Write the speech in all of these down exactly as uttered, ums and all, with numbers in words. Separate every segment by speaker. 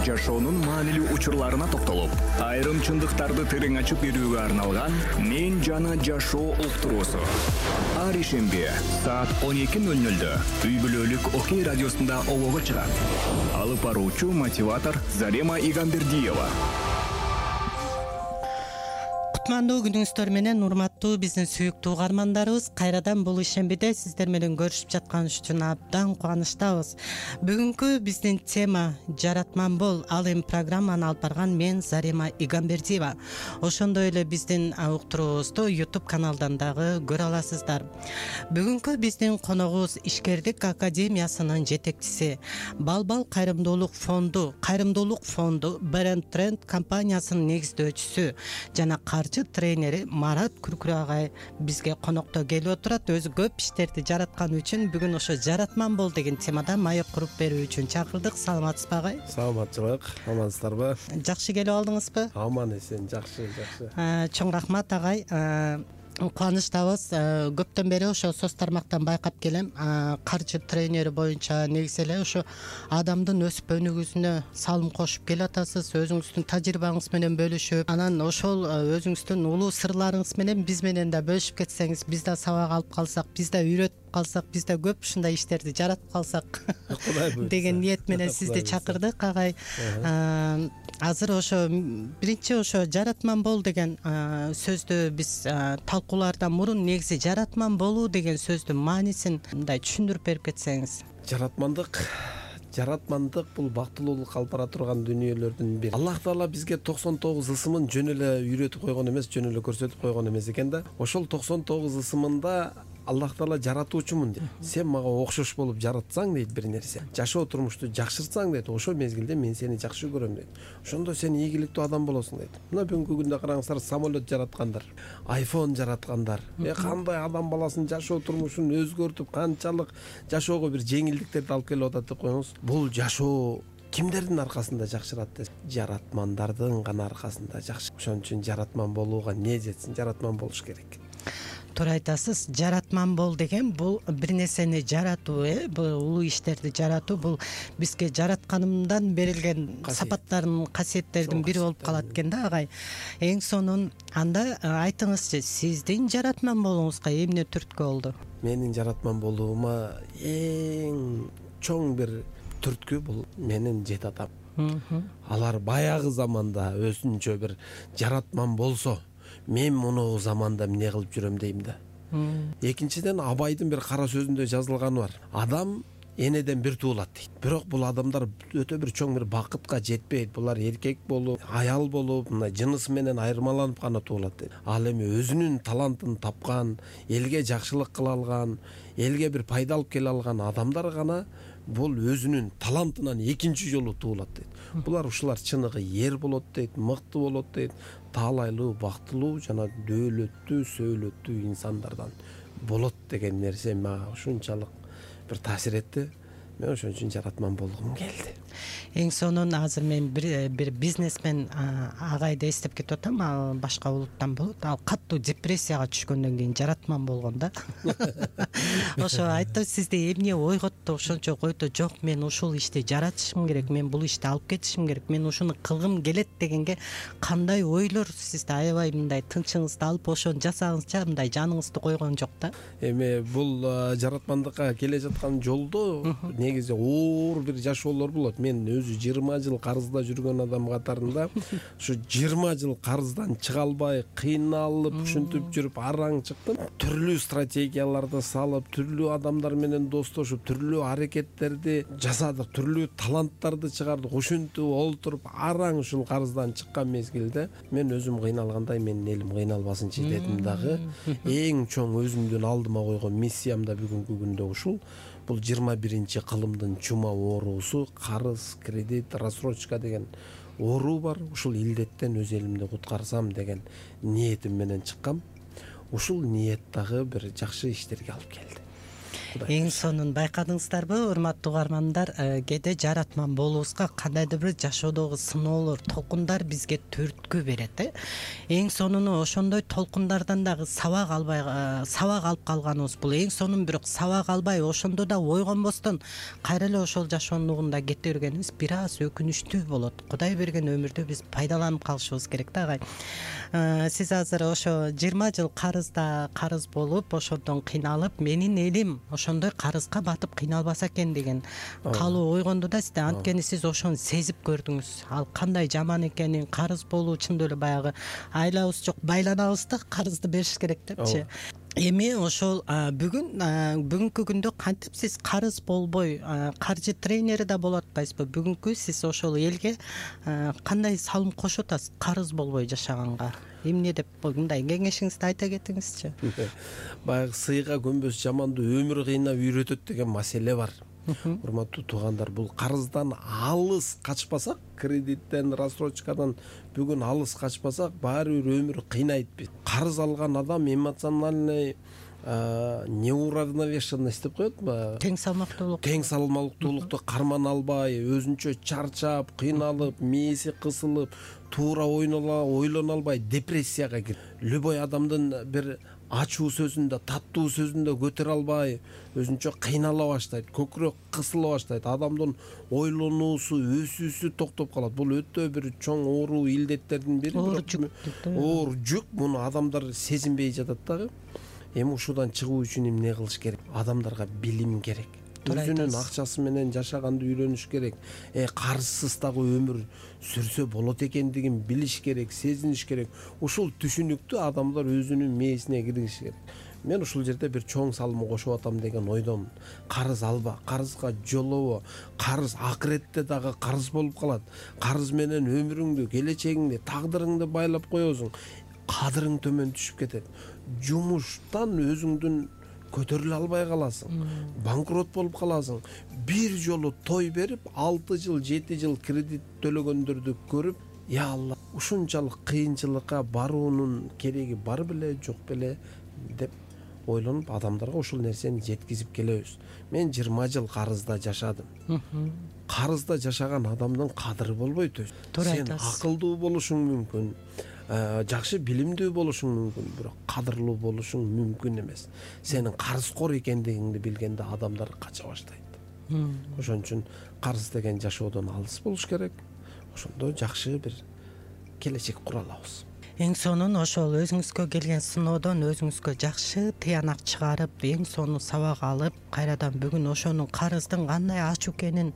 Speaker 1: жашоонун маанилүү учурларына токтолуп, айрым чындыктарды терең ачып берүүгө арналган «Мен жана жашоо» уктуруусу. Ар ишемби саат он эки ноль нольдө үй бүлөлүк Окей радиосунда обого чыгат. Алып баруучу мотиватор Зарема Игамбердиева.
Speaker 2: Кутмандуу күнүңүздөр менен, урматтуу биздин сүйүктүү угармандарыбыз, кайрадан бул ишембиде сиздер менен көрүшүп жатканыбыз үчүн абдан кубанычтабыз. Бүгүнкү биздин тема жаратман бол. Ал эми программаны алып барган мен Зарема Игамбердиева. Ошондой эле биздин уктуруубузду YouTube каналдан дагы көрө аласыздар. Бүгүнкү биздин коногубуз Ишкердик академиясынын жетекчиси, Балбал кайрымдуулук фонду, кайрымдуулук фонду Бренд Тренд компаниясынын негиздөөчүсү жана каржы тренери Марат Күркүрө агай бизге конокто келип отурат. Өзү көп иштерди жараткан үчүн бүгүн ошо жаратман бол деген темада маек куруп берүү үчүн чакырдык. Саламатсызбы агай?
Speaker 3: Саламатчылык, амансыздарбы?
Speaker 2: Жакшы келип алдыңызбы?
Speaker 3: Аман эсен, жакшы, жакшы.
Speaker 2: Чоң рахмат агай. Кубанычтабыз. Көптөн бери ошо соц тармактан байкап келем. Каржы тренери боюнча негизи эле ошо адамдын өсүп өнүгүүсүнө салым кошуп келатасыз. Өзүңүздүн тажрыйбаңыз менен бөлүшүп, анан ошол өзүңүздүн улуу сырларыңыз менен биз менен да бөлүшүп кетсеңиз, биз да сабак алып калсак, биз да үйрөтүп калсак, биз да көп ушундай иштерди жаратып калсак деген ниет менен сизди чакырдык агай. Азыр ошо биринчи ошо жаратман бол деген сөздү биз талкуулардан мурун негизи жаратман болуу деген сөздүн маанисин мындай түшүндүрүп берип кетсеңиз.
Speaker 3: Жаратмандык Жаратмандык бул бактылуулук алып бара турган дүнүйөлөрдүн бири. Аллах Таала бизге токсон тогуз ысымын жөн эле үйрөтүп койгон эмес, жөн эле көрсөтүп койгон эмес экен да. Ошол токсон тогуз ысымында Аллах Таала жаратуучумун дейт. Сен мага окшош болуп жаратсаң дейт бир нерсе, жашоо турмушту жакшыртсаң дейт, ошол мезгилде мен сени жакшы көрөм дейт. Ошондо сен ийгиликтүү адам болосуң дейт. Мына бүгүнкү күндө караңыздар, самолет жараткандар, айфон жараткандар, э кандай адам баласынын жашоо турмушун өзгөртүп, канчалык жашоого бир жеңилдиктерди алып келип атат деп коюңуз. Бул жашоо кимдердин аркасында жакшырат десе, жаратмандардын гана аркасында жакшы. Ошон үчүн жаратман болууга не жетсин, жаратман болуш керек.
Speaker 2: Туура айтасыз. Жаратман бол деген бул бир нерсени жаратуу, э бул улуу иштерди жаратуу, бул бизге жаратканымдан берилген сапаттардын, касиеттердин бири болуп калат экен да агай. Эң сонун анда айтыңызчы, сиздин жаратман болууңузга эмне түрткү болду?
Speaker 3: Менин жаратман болуума эң чоң бир түрткү бул менин жет атам. Алар баягы заманда өзүнчө бир жаратман болсо, мен муну заманда эмне кылып жүрөм дейм да. Экинчиден, Абайдын бир кара сөзүндө жазылганы бар. Адам энеден бир туулат дейт. Бирок бул адамдар өтө бир чоң бир бакытка жетпейт. Булар эркек болуп, аял болуп, мындай жынысы менен айырмаланып гана туулат дейт. Ал эми өзүнүн талантын тапкан, элге жакшылык кыла алган, элге бир пайда алып келе алган адамдар гана бул өзүнүн талантынан экинчи жолу туулат дейт. Булар ушулар чыныгы эр болот дейт, мыкты болот дейт, таалайлуу, бактылуу жана дөөлөттүү, сөөлөттүү инсандардан болот деген нерсе мага ушунчалык бир таасир этти. Мен ошон үчүн жаратман болгум келди.
Speaker 2: Эң сонун азыр мен бир бир бизнесмен агайды эстеп кетип атам. Ал башка улуттан болот. Ал катуу депрессияга түшкөндөн кийин жаратман болгон да. Ошо айтты, сизди эмне ойготту, ошончо койду, жок, мен ушул ишти жаратышым керек, мен бул ишти алып кетишим керек, мен ушуну кылгым келет дегенге кандай ойлор сизде аябай мындай тынчыңызды алып ошону жасагыңызча мындай жаныңызды койгон жок да?
Speaker 3: Эми бул жаратмандыкка келе жаткан жолдо негизи оор бир жашоолор болот. Мен өзү жыйырма жыл карызда жүргөн адам катарында ушу жыйырма жыл карыздан чыга албай, кыйналып, ушинтип жүрүп араң чыктым. Түрлүү стратегияларды салып, түрлүү адамдар менен достошуп, түрлүү аракеттерди жасадык, түрлүү таланттарды чыгардык. Ушинтип олтуруп араң ушул карыздан чыккан мезгилде мен өзүм кыйналгандай, менин элим кыйналбасынчы дедим дагы. Эң чоң өзүмдүн алдыма койгон миссиям да бүгүнкү күндө ушул. Бул жыйырма биринчи кылымдын чума оорусу, карыз, кредит, рассрочка деген оору бар. Ушул илдеттен өз элимди куткарсам деген ниетим менен чыккам. Ушул ниет дагы бир жакшы иштерге алып келди.
Speaker 2: Эң сонун байкадыңыздарбы, урматтуу угармандар, кээде жаратман болуубузга кандайдыр бир жашоодогу сыноолор, толкундар бизге түрткү берет э. Эң сонуну ошондой толкундардан дагы сабак албай сабак алып калганыбыз бул. Эң сонун бирок сабак албай ошондо да ойгонбостон кайра эле ошол жашоонун нугунда кете бергенибиз бир аз өкүнүчтүү болот. Кудай берген өмүрдү биз пайдаланып калышыбыз керек да агай. Сиз азыр ошо жыйырма жыл карызда карыз болуп, ошондон кыйналып, менин элим ошондой карызга батып кыйналбаса экен деген каалоо ойгонду да сизде. Анткени сиз ошону сезип көрдүңүз. Ал кандай жаман экенин, карыз болуу чындап эле баягы айлабыз жок, байланабыз да, карызды бериш керек депчи. Эми ошол бүгүн бүгүнкү күндө кантип сиз карыз болбой каржы тренери да болуп атпайсызбы? Бүгүнкү сиз ошол элге кандай салым кошуп атасыз карыз болбой жашаганга? Эмне деп мындай кеңешиңизди айта кетиңизчи.
Speaker 3: Баягы сыйга көнбөс жаманды өмүр кыйнап үйрөтөт деген маселе бар. Урматтуу туугандар, бул карыздан алыс качпасак, кредиттен, рассрочкадан бүгүн алыс качпасак, баары бир өмүр кыйнайт биз. Карыз алган адам эмоциональный неуравновешенность деп коет,
Speaker 2: тең салмактуулук.
Speaker 3: Тең салмактуулукту кармана албай, өзүнчө чарчап, кыйналып, мээси кысылып, туура ойлоно албай депрессияга кирип, любой адамдын бир ачуу сөзүндө, таттуу сөзүндө көтөрө албай, өзүнчө кыйнала баштайт, көкүрөк кысыла баштайт, адамдын ойлонуусу, өсүүсү токтоп калат. Бул өтө бир чоң оору илдеттердин бири.
Speaker 2: Оор жүк.
Speaker 3: Оор жүк. Муну адамдар сезинбей жатат дагы. Эми ушудан чыгуу үчүн эмне кылыш керек? Адамдарга билим керек. Өзүнүн акчасы менен жашаганды үйрөнүш керек. Э карызсыз дагы өмүр сүрсө болот экендигин билиш керек, сезиниш керек. Ушул түшүнүктү адамдар өзүнүн мээсине киргизиш керек. Мен ушул жерде бир чоң салым кошуп атам деген ойдомун. Карыз алба, карызга жолобо. Карыз акыретте дагы карыз болуп калат. Карыз менен өмүрүңдү, келечегиңди, тагдырыңды байлап коесуң. Кадырың төмөн түшүп кетет. Жумуштан өзүңдүн көтөрүлө албай каласың. Банкрот болуп каласың. Бир жолу той берип, алты жыл, жети жыл кредит төлөгөндөрдү көрүп, я Алла, ушунчалык кыйынчылыкка баруунун кереги бар беле, жок беле деп ойлонуп, адамдарга ушул нерсени жеткизип келебиз. Мен жыйырма жыл карызда жашадым. Карызда жашаган адамдын кадыры болбойт. Сен акылдуу болушуң мүмкүн, жакшы билимдүү болушуң мүмкүн, бирок кадырлуу болушуң мүмкүн эмес. Сенин карызкор экендигиңди билгенде адамдар кача баштайт. Ошон үчүн карыз деген жашоодон алыс болуш керек. Ошондо жакшы бир келечек кура алабыз.
Speaker 2: Эң сонун ошол өзүңүзгө келген сыноодон өзүңүзгө жакшы тыянак чыгарып, эң сонун сабак алып, кайрадан бүгүн ошонун карыздын кандай ачуу экенин,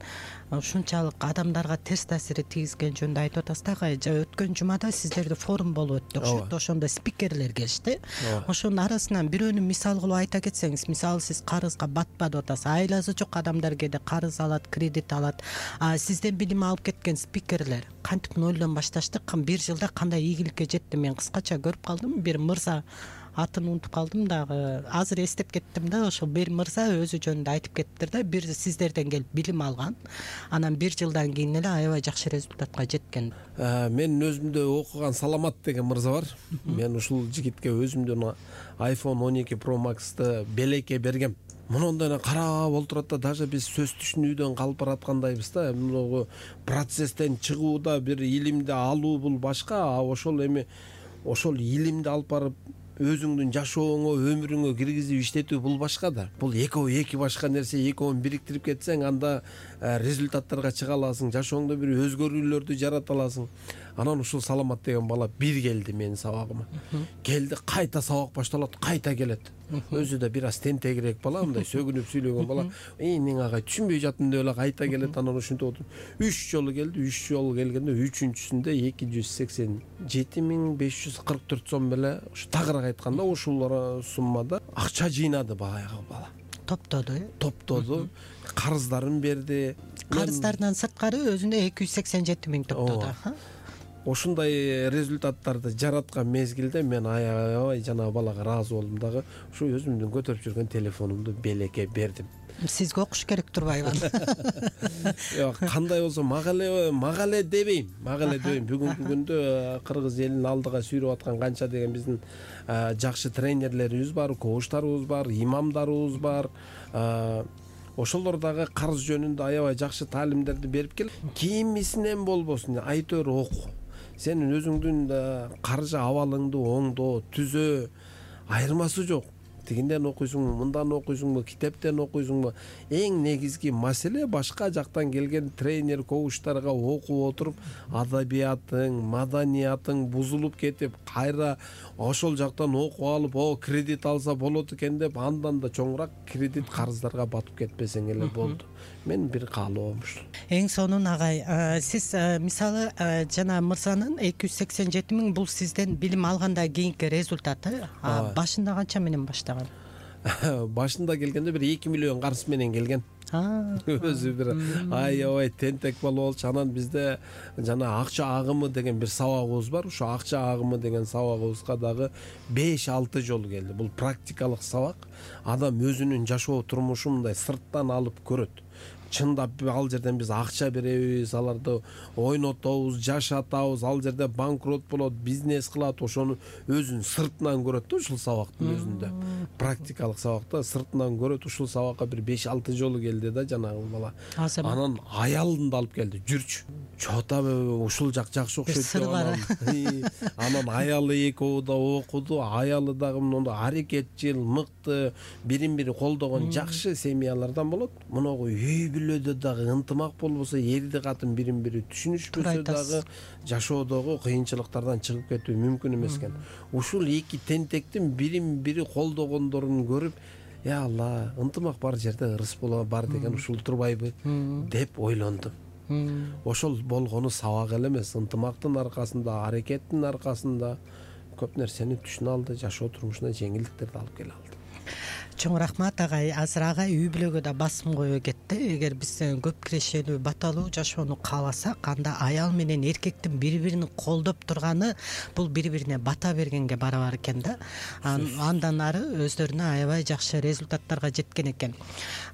Speaker 2: ушунчалык адамдарга терс таасири тийгизген жөнүндө айтып атасыз да. Өткөн жумада сиздерде форум болуп өттү окшойт. Ошондо спикерлер келишти. Ошонун арасынан бирөөнү мисал кылып айта кетсеңиз, мисалы сиз карызга батпады атасыз. Айласы жок адамдар кээде карыз алат, кредит алат. Сизден билим алып кеткен спикерлер кантип нолдон башташты, бир жылда кандай ийгиликке жетти? Мен кыскача көрүп калдым. Бир мырза, атын унутуп калдым дагы, азыр эстеп кеттим да. Ошол бир мырза өзү жөнүндө айтып кеттиптир да. Бир сиздерден келип билим алган, анан бир жылдан кийин эле аябай жакшы результатка жеткен.
Speaker 3: Менин өзүмдө окуган Саламат деген мырза бар. Мен ушул жигитке өзүмдүн айфон он эки Pro Max'ты белекке бергем. Мундайна карап олтурат да, даже биз сөз түшүнүүдөн калып бараткандайбыз да. Муну процесстен чыгууда бир илимди алуу бул башка, а ошол эми ошол илимди алып барып өзүңдүн жашооңо, өмүрүңө киргизип иштетүү бул башка да. Бул экөө эки башка нерсе, экөөнү бириктирип кетсең, анда результаттарга чыга аласың, жашооңдо бир өзгөрүүлөрдү жарата аласың. Анан ушул Саламат деген бала бир келди менин сабагыма. Келди, кайта сабак башталат, кайта келет. Өзү да бир аз тентегирээк бала, мындай сөгүнүп сүйлөгөн бала. Эй, мен агай түшүнбөй жаттым деп эле кайта келет. Анан ушинтип отуруп үч жолу келди. үч жолу келгенде үчүнчүсүндө эки жүз сексен жети миң беш жүз кырк төрт сом беле, ушу тагыраак айтканда ушул суммада акча жыйнады баягы бала.
Speaker 2: Топтоду, э?
Speaker 3: Топтоду, карыздарын берди.
Speaker 2: Карыздарынан сырткары өзүндө эки жүз сексен жети миң топтоду.
Speaker 3: Ушундай результаттарды жараткан мезгилде мен аябай жана балага ыраазы болдум дагы. Ушу өзүмдүн көтөрүп жүргөн телефонумду белекке бердим.
Speaker 2: Сизге окуш керек турбайбы?
Speaker 3: Жок, кандай болсо мага эле мага эле дебейм, мага эле дебейм. Бүгүнкү күндө кыргыз элин алдыга сүйрөп аткан канча деген биздин жакшы тренерлерибиз бар, коучтарыбыз бар, имамдарыбыз бар. Ошолор дагы карыз жөнүндө аябай жакшы таалимдерди берип келет. Кимисинен болбосун, айтор оку. Сенин өзүңдүн каржы абалыңды оңдоо, түзөө, айырмасы жок. Тигинден окуйсуңбу, мындан окуйсуңбу, китептен окуйсуңбу? Эң негизги маселе башка жактан келген тренер, коучтарга окуп отуруп, адабиятың, маданиятың бузулуп кетип, кайра ошол жактан окуп алып, о, кредит алса болот экен деп, андан да чоңураак кредит карыздарга батып кетпесең эле болду. Мен бир каалоом ушул.
Speaker 2: Эң сонун агай, сиз мисалы жана мырзанын эки жүз сексен жети миң бул сизден билим алгандан кийинки результаты. Башында канча менен баштаган?
Speaker 3: Башында келгенде бир эки миллион карыз менен келген. Өзү бир аябай тентек бала болчу. Анан бизде жана акча агымы деген бир сабагыбыз бар. Ошо акча агымы деген сабагыбызга дагы беш алты жолу келди. Бул практикалык сабак. Адам өзүнүн жашоо турмушун мындай сырттан алып көрөт. Чындап ал жерден биз акча беребиз, аларды ойнотобуз, жашатабыз, ал жерде банкрот болот, бизнес кылат, ошону өзүн сыртынан көрөт да, ушул сабактын өзүндө. Практикалык сабакта сыртынан көрөт. Ушул сабакка бир беш алты жолу келди да жанагы бала. Анан аялын да алып келди. Жүрчү. Чота ушул жак жакшы окшойт деп. Анан аялы экөө да окуду, аялы дагы мындай аракетчил, мыкты, бирин-бири колдогон жакшы семьялардан болот. Муногу үй бүлөдө дагы ынтымак болбосо, эрди катын бирин-бири түшүнүшпөсө дагы жашоодогу кыйынчылыктардан чыгып кетүү мүмкүн эмес экен. Ушул эки тентектин бирин-бири колдогондорун көрүп, я Алла, ынтымак бар жерде ырыс боло бар деген ушул турбайбы деп ойлондум. Ошол болгону сабак эле эмес, ынтымактын аркасында, аракеттин аркасында көп нерсени түшүнө алды, жашоо турмушуна жеңилдиктерди алып келе алды.
Speaker 2: Чоң рахмат агай. Азыр агай үй бүлөгө да басым коюп кетти. Эгер биз көп кирешелүү, баталуу жашоону кааласак, анда аял менен эркектин бири-бирин колдоп турганы бул бири-бирине бата бергенге барабар экен да. Андан ары өздөрүнө аябай жакшы результаттарга жеткен экен.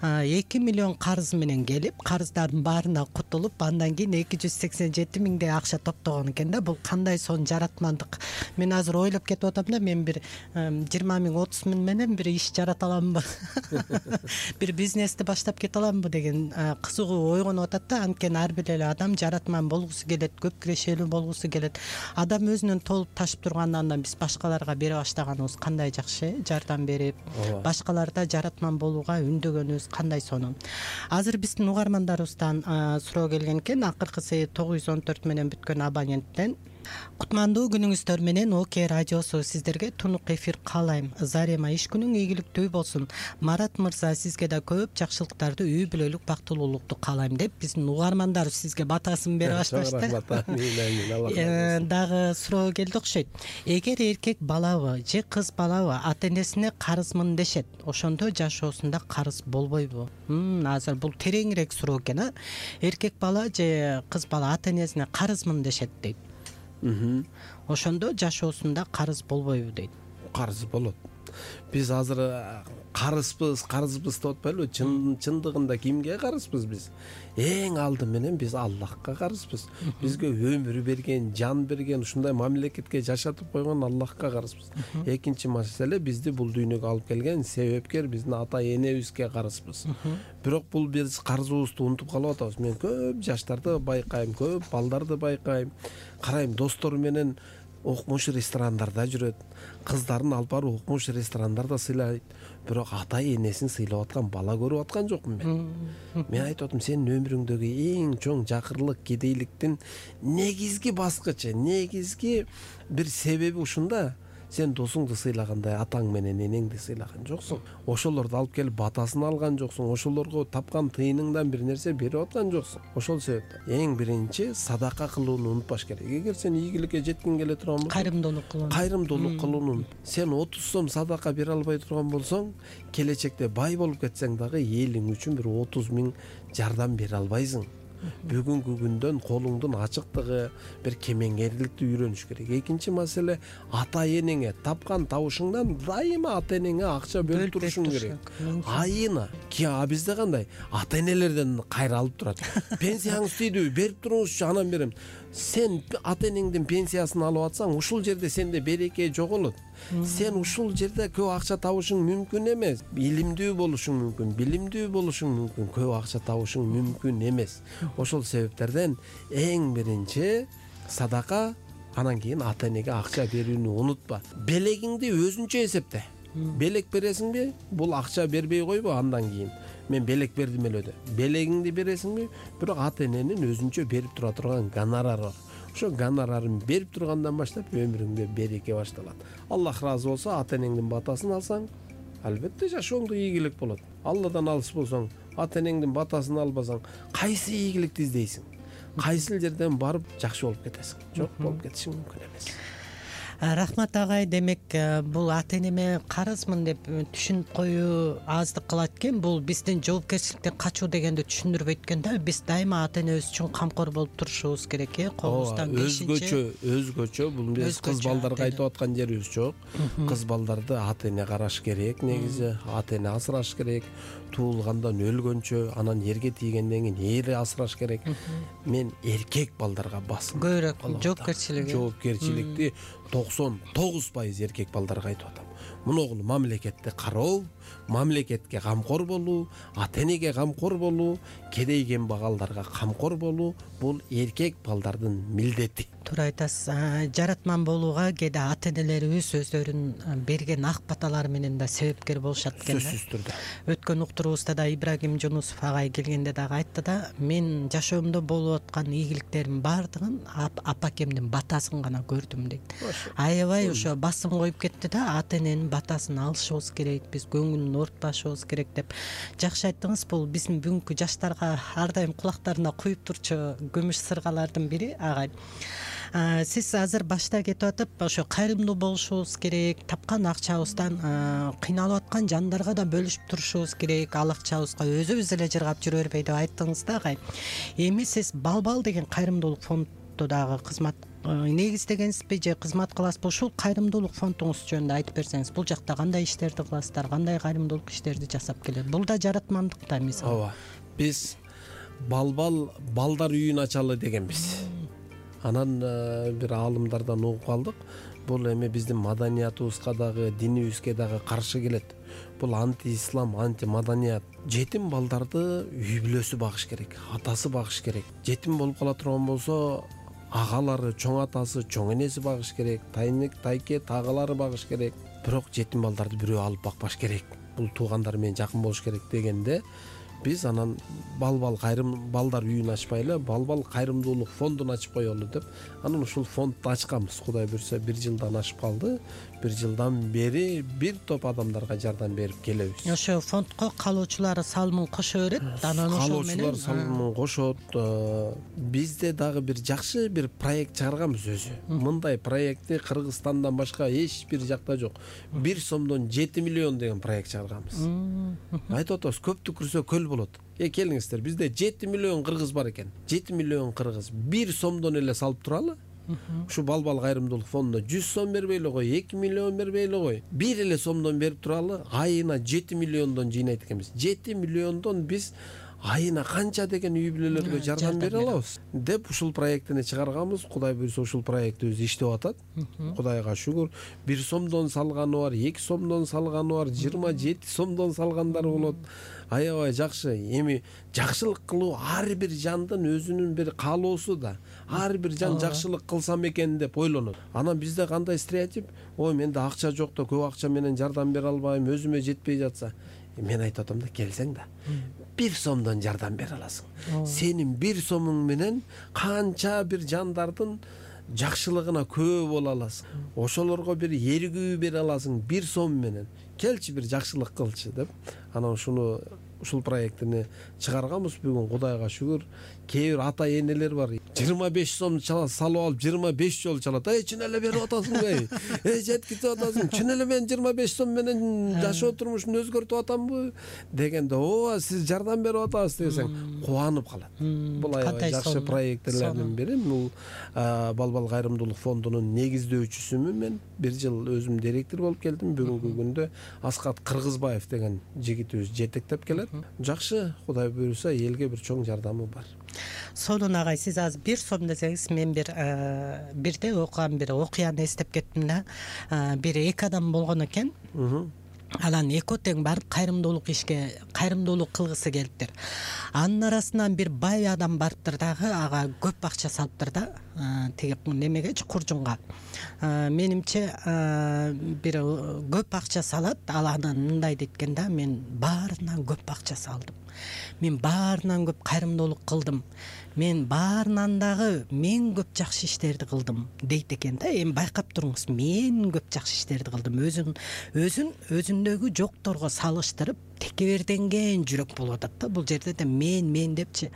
Speaker 2: эки миллион карыз менен келип, карыздардын баарына кутулуп, андан кийин эки жүз сексен жети миңдей акча топтогон экен да. Бул кандай сонун жаратмандык. Мен азыр ойлоп кетип атам да, мен бир жыйырма миң, отуз миң менен бир иш жарата аламбы, бир бизнести баштап кете аламбы деген кызыгуу ойгонуп атат да. Анткени ар бир эле адам жаратман болгусу келет, көп кирешелүү болгусу келет. Адам өзүнүн толуп ташып тургандан андан биз башкаларга бере баштаганыбыз кандай жакшы, жардам берип, башкаларда жаратман болууга үндөгөнүбүз кандай сонун. Азыр биздин угармандарыбыздан суроо келген экен. Акыркысы тогуз жүз он төрт менен бүткөн абоненттен: кутмандуу күнүңүздөр менен ОК радиосу сиздерге тунук эфир каалайм. Зарема иш күнүң ийгиликтүү болсун. Марат мырза, сизге да көп жакшылыктарды, үй бүлөлүк бактылуулукту каалайм деп биздин угармандар сизге батасын бере башташты. Дагы суроо келди окшойт. Эгер эркек балабы же кыз балабы ата энесине карызмын дешет, ошондо жашоосунда карыз болбойбу? Азыр бул тереңирээк суроо экен, а? Эркек бала же кыз бала ата энесине карызмын дешет дейт. Ошондо жашоосунда карыз болбойбу дейт.
Speaker 3: Карыз болот. Биз азыр карызбыз, карызбыз деп атпайлыбы? Чындыгында кимге карызбыз биз? Эң алды менен биз Аллахка карызбыз. Бизге өмүр берген, жан берген, ушундай мамлекетке жашатып койгон Аллахка карызбыз. Экинчи маселе, бизди бул дүйнөгө алып келген себепкер биздин ата энебизге карызбыз. Бирок бул биз карызыбызды унутуп калып атабыз. Мен көп жаштарды байкайм, көп балдарды байкайм. Карайм, достору менен окмуш ресторандарда жүрөт, кыздарын алып барып окмуш ресторандарда сыйлайт. Бирок ата энесин сыйлап аткан бала көрүп аткан жокмун мен. Мен айтып атам, сенин өмүрүңдөгү эң чоң жакырлык, кедейликтин негизги баскычы, негизги бир себеби ушунда. Сен досуңду сыйлагандай атаң менен энеңди сыйлаган жоксуң. Ошолорду алып келип батасын алган жоксуң. Ошолорго тапкан тыйыныңдан бир нерсе берип аткан жоксуң. Ошол себептен эң биринчи садака кылууну унутпаш керек. Эгер сен ийгиликке жеткиң келе турган болсоң,
Speaker 2: кайрымдуулук кылуу.
Speaker 3: Кайрымдуулук кылууну. Сен отуз сом садака бере албай турган болсоң, келечекте бай болуп кетсең дагы элиң үчүн бир отуз миң жардам бере албайсың. бүгүнкү күндөн колуңдун ачыктыгы, бир кемеңгерликти үйрөнүш керек. Экинчи маселе, ата энеңе тапкан табышыңдан дайыма ата энеңе акча бөлүп турушуң керек. Айына. А бизде кандай? Ата энелерден кайра алып турат. Пенсияңыз тийдиби? Берип туруңузчу, анан берем. Сен ата энеңдин пенсиясын алып атсаң, ушул жерде сенде береке жоголот. Сен ушул жерде көп акча табышың мүмкүн эмес. Илимдүү болушуң мүмкүн, билимдүү болушуң мүмкүн, көп акча табышың мүмкүн эмес. Ошол себептерден эң биринчи садака, анан кийин ата энеге акча берүүнү унутпа. Белегиңди өзүнчө эсепте. Белек бересиңби? Бул акча бербей койбо андан кийин. Мен белек бердим эле деп. Белегиңди бересиңби? Бирок ата эненин өзүнчө берип тура турган гонорары бар. Ошо гонорарын берип тургандан баштап өмүрүңдө береке башталат. Аллах ыраазы болсо, ата энеңдин батасын алсаң, албетте жашооңдо ийгилик болот. Алладан алыс болсоң, ата энеңдин батасын албасаң, кайсы ийгиликти издейсиң? Кайсыл жерден барып жакшы болуп кетесиң? Жок, болуп кетишиң мүмкүн эмес.
Speaker 2: Рахмат агай, демек бул ата энеме карызмын деп түшүнүп коюу аздык кылат экен. Бул биздин жоопкерчиликтен качуу дегенди түшүндүрбөйт экен да. Биз дайыма ата энебиз үчүн камкор болуп турушубуз керек э. Колубуздан бешинчи
Speaker 3: өзгөчө, өзгөчө бул биз кыз балдарга айтып аткан жерибиз жок. Кыз балдарды ата эне караш керек негизи, ата эне асыраш керек. Туулгандан өлгөнчө, анан эрге тийгенден кийин эри асыраш керек. Мен эркек балдарга басым
Speaker 2: көбүрөөк жоопкерчилик
Speaker 3: жоопкерчиликти токсон тогуз пайыз эркек балдарга айтып атам. Муногул мамлекетти кароо, мамлекетке камкор болуу, ата энеге камкор болуу, кедей кембагалдарга камкор болуу бул эркек балдардын милдети.
Speaker 2: Туура айтасыз. Жаратман болууга кээде ата энелерибиз өздөрүнүн берген ак баталары менен да себепкер болушат экен.
Speaker 3: Сөзсүз түрдө.
Speaker 2: Өткөн уктуруубузда да Ибрагим Жунусов агай келгенде дагы айтты да, мен жашоомдо болуп аткан ийгиликтердин баардыгын апакемдин батасын гана көрдүм дейт. Аябай ошо басым коюп кетти да, ата эненин батасын алышыбыз керек, биз көңүлүн оорутпашыбыз керек деп. Жакшы айттыңыз. Бул биздин бүгүнкү жаштарга ар дайым кулактарына куюп турчу күмүш сыргалардын бири агай. Сиз азыр башта кетип атып, ошо кайрымдуу болушубуз керек, тапкан акчабыздан кыйналып аткан жандарга да бөлүшүп турушубуз керек, ал акчабызга өзүбүз эле жыргап жүрө бербей деп айттыңыз да агай. Эми сиз Балбал деген кайрымдуулук фонддо дагы кызмат негиздегенсизби же кызмат кыласызбы? Ушул кайрымдуулук фондуңуз жөнүндө айтып берсеңиз, бул жакта кандай иштерди кыласыздар, кандай кайрымдуулук иштерди жасап келет? Бул да жаратмандык да мисалы.
Speaker 3: Ооба. Биз Балбал балдар үйүн ачалы дегенбиз. Анан бир аалымдардан угуп калдык. Бул эми биздин маданиятыбызга дагы, динибизге дагы каршы келет. Бул анти-ислам, анти-маданият. Жетим балдарды үй бүлөсү багыш керек, атасы багыш керек. Жетим болуп кала турган болсо, агалары, чоң атасы, чоң энеси багыш керек, тайник, тайке, таагалары багыш керек. Бирок жетим балдарды бирөө алып бакпаш керек. Бул туугандар менен жакын болуш керек дегенде, биз анан Балбал кайрым балдар үйүн ачпайлы, Балбал кайрымдуулук фондун ачып коелу деп, анан ушул фондду ачканбыз. Кудай буйрса бир жылдан ашып калды. Бир жылдан бери бир топ адамдарга жардам берип келебиз.
Speaker 2: Ошо фондко калуучулар салымын кошо берет, анан ошол менен
Speaker 3: калуучулар салымын кошот. Бизде дагы бир жакшы бир проект чыгарганбыз өзү. Мындай проектти Кыргызстандан башка эч бир жакта жок. бир сомдон жети миллион деген проект чыгарганбыз. Айтып атабыз, көп түкүрсө көл болот. Э келиңиздер, бизде жети миллион кыргыз бар экен. жети миллион кыргыз бир сомдон эле салып туралы. Ушу Балбал кайрымдуулук фондуна жүз сом бербей эле кой, эки миллион бербей эле кой. Бир эле сомдон берип туралы, айына жети миллиондон жыйнайт экенбиз. жети миллиондон биз айына канча деген үй бүлөлөргө жардам бере алабыз деп ушул проектини чыгарганбыз. Кудай буйрса ушул проектибиз иштеп атат. Кудайга шүгүр. бир сомдон салганы бар, эки сомдон салганы бар, жыйырма жети сомдон салгандар болот. Аябай жакшы. Эми жакшылык кылуу ар бир жандын өзүнүн бир каалоосу да. Ар бир жан жакшылык кылсам экен деп ойлонот. Анан бизде кандай стереотип? Ой, менде акча жок да, көп акча менен жардам бере албайм, өзүмө жетпей жатса. Мен айтып атам да, келсең да, бир сомдон жардам бере аласың. Сенин бир сомуң менен канча бир жандардын жакшылыгына күбө боло аласың. Ошолорго бир эргүү бере аласың бир сом менен. Келчи бир жакшылык кылчы деп. Анан ушуну ушул проектини чыгарганбыз. Бүгүн Кудайга шүгүр, кээ бир ата энелер бар, жыйырма беш сом салып алып жыйырма беш жолу чалат. Эй, чын эле берип атасыңбы? Эй, жеткизип атасың. Чын эле мен жыйырма беш сом менен жашоо турмушумду өзгөртүп атамбы дегенде, ооба, сиз жардам берип атасыз десең, кубанып калат. Бул аябай жакшы проектлердин бири. Бул Балбал кайрымдуулук фондунун негиздөөчүсүмүн мен. Бир жыл өзүм директор болуп келдим. Бүгүнкү күндө Аскат Кыргызбаев деген жигитибиз жетектеп келет. Жакшы, Кудай буйруса, элге бир чоң жардамы бар.
Speaker 2: Сонун агай, сиз азыр бир сом десеңиз, мен бир бирде окуган бир окуяны эстеп кеттим да. Бир эки адам болгон экен. Анан эки тең барып кайрымдуулук ишке, кайрымдуулук кылгысы келиптир. Анын арасынан бир бай адам барыптыр дагы, ага көп акча салыптыр да, тиги немегечи, куржунга. Менимче бир көп акча салат, ал анан мындай дейт да, мен баарынан көп акча салдым. Мен баарынан көп кайрымдуулук кылдым. Мен баарынан дагы мен көп жакшы иштерди кылдым дейт экен да. Эми байкап туруңуз, мен көп жакшы иштерди кылдым. Өзүн өзүн өзүндөгү жокторго салыштырып текеберденген жүрөк болуп атат да. Бул жерде да мен мен депчи.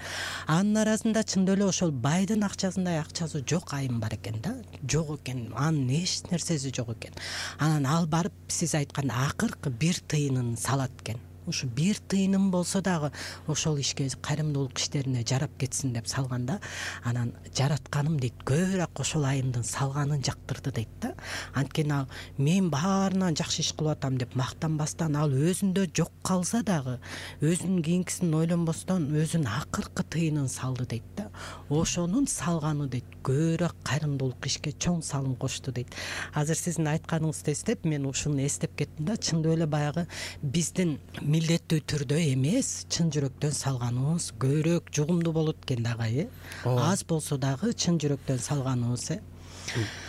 Speaker 2: Анын арасында чындап эле ошол байдын акчасындай акчасы жок айым бар экен да. Жок экен. Анын эч нерсеси жок экен. Анан ал барып сиз айткан акыркы бир тыйынын салат экен. Ушу бир тыйыным болсо дагы ошол ишке, кайрымдуулук иштерине жарап кетсин деп салганда, анан жаратканым дейт, көбүрөөк ошол айымдын салганын жактырды дейт да. Анткени ал мен баарынан жакшы иш кылып атам деп мактанбастан, ал өзүндө жок калса дагы өзүнүн кийинкисин ойлонбостон өзүнүн акыркы тыйынын салды дейт да. Ошонун салганы дейт, көбүрөөк кайрымдуулук ишке чоң салым кошту дейт. Азыр сиздин айтканыңызды эстеп, мен ушуну эстеп кеттим да. Чындап эле баягы биздин милдеттүү түрдө эмес, чын жүрөктөн салганыбыз көбүрөөк жугумдуу болот экен да агай. Аз болсо дагы чын жүрөктөн салганыбыз.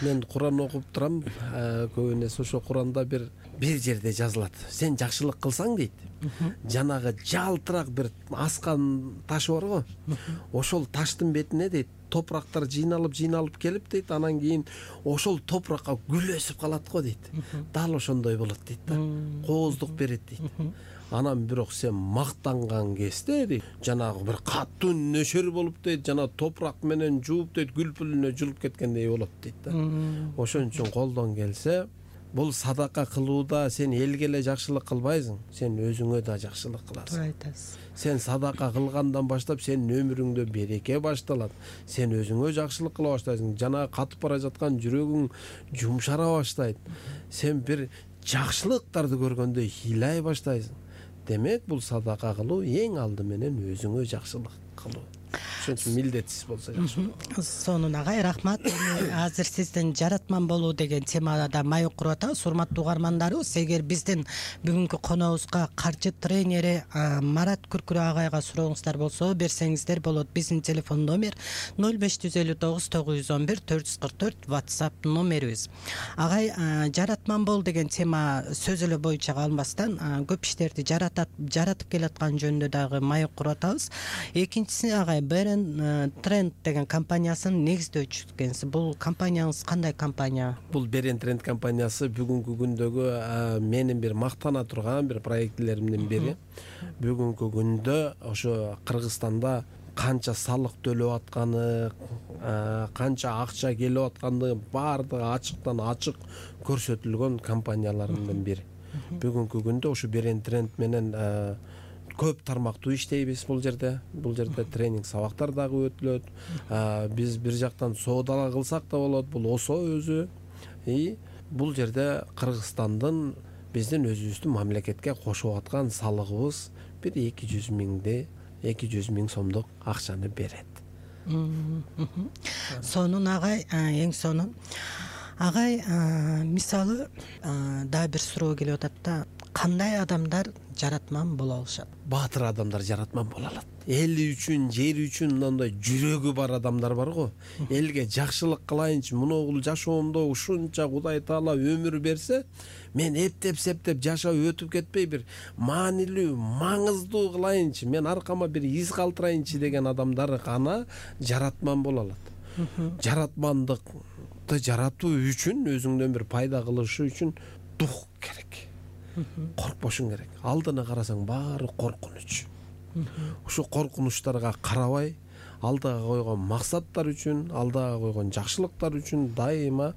Speaker 3: Мен Куран окуп турам, көбүнө ошо Куранда бир бир жерде жазылат. Сен жакшылык кылсаң дейт, жанагы жалтырак бир аскан таш барго, ошол таштын бетине дейт топурактар жыйналып жыйналып келип дейт, анан кийин ошол топуракка гүл өсүп калат го дейт. Дал ошондой болот дейт да. Кооздук берет дейт. Анан бирок сен мактанган кезде дейт, жанагы бир катуу нөшөр болуп дейт, жана топурак менен жууп дейт, гүл пүлүнө жулуп кеткендей болот дейт да. Ошон үчүн колдон келсе, бул садака кылууда сен элге эле жакшылык кылбайсың, сен өзүңө да жакшылык кыласың. Туура айтасыз. Сен садака кылгандан баштап сенин өмүрүңдө береке башталат. Сен өзүңө жакшылык кыла баштайсың. Жана катып бара жаткан жүрөгүң жумшара баштайт. Сен бир жакшылыктарды көргөндө ыйлай баштайсың. Демек, бул садака кылуу эң алды менен өзүңө жакшылык кылуу. Ошон үчүн милдетсиз болсо жакшы.
Speaker 2: Сонун агай, рахмат. Азыр сиздин жаратман болуу деген темада маек куруп атабыз. Урматтуу угармандарыбыз, эгер биздин бүгүнкү коногубузга каржы тренери Марат Күркүрө агайга сурооңуздар болсо, берсеңиздер болот. Биздин телефон номер ноль беш жүз элүү тогуз тогуз жүз он бир төрт жүз кырк төрт WhatsApp номерибиз. Агай, жаратман бол деген тема сөз эле боюнча калбастан, көп иштерди жаратат, жаратып келаткан жөнүндө дагы маек куруп атабыз. Экинчиси, агай, Берен Тренд деген компаниясынын негиздөөчүсү экенсиз. Бул компанияңыз кандай компания?
Speaker 3: Бул Берен Тренд компаниясы бүгүнкү күндөгү менин бир мактана турган бир проектлеримдин бири. Бүгүнкү күндө ошо Кыргызстанда канча салык төлөп атканы, канча акча келип атканы баардыгы ачыктан ачык көрсөтүлгөн компаниялардын бири. Бүгүнкү күндө ошо Берен Тренд менен көп тармактуу иштейбиз бул жерде. Бул жерде тренинг сабактар дагы өтүлөт. Биз бир жактан соода кылсак да болот, бул ОСО өзү. И бул жерде Кыргызстандын биздин өзүбүздүн мамлекетке кошуп аткан салыгыбыз бир эки жүз миңде эки жүз миң сомдук акчаны берет.
Speaker 2: Сонун агай, эң сонун. Агай, мисалы дагы бир суроо келип атат да, кандай адамдар жаратман боло алышат?
Speaker 3: Баатыр адамдар жаратман боло алат. Эли үчүн, жери үчүн мындай жүрөгү бар адамдар бар го. Элге жакшылык кылайынчы, муногул жашоомдо ушунча Кудай Таала өмүр берсе, мен эптеп-септеп жашап өтүп кетпей бир маанилүү, маңыздуу кылайынчы, мен аркама бир из калтырайынчы деген адамдар гана жаратман боло алат. Жаратмандыкты жаратуу үчүн, өзүңдөн бир пайда кылышы үчүн дух керек. Коркпошуң керек. Алдына карасаң баары коркунуч. Ушу коркунучтарга карабай, алдыга койгон максаттар үчүн, алдыга койгон жакшылыктар үчүн дайыма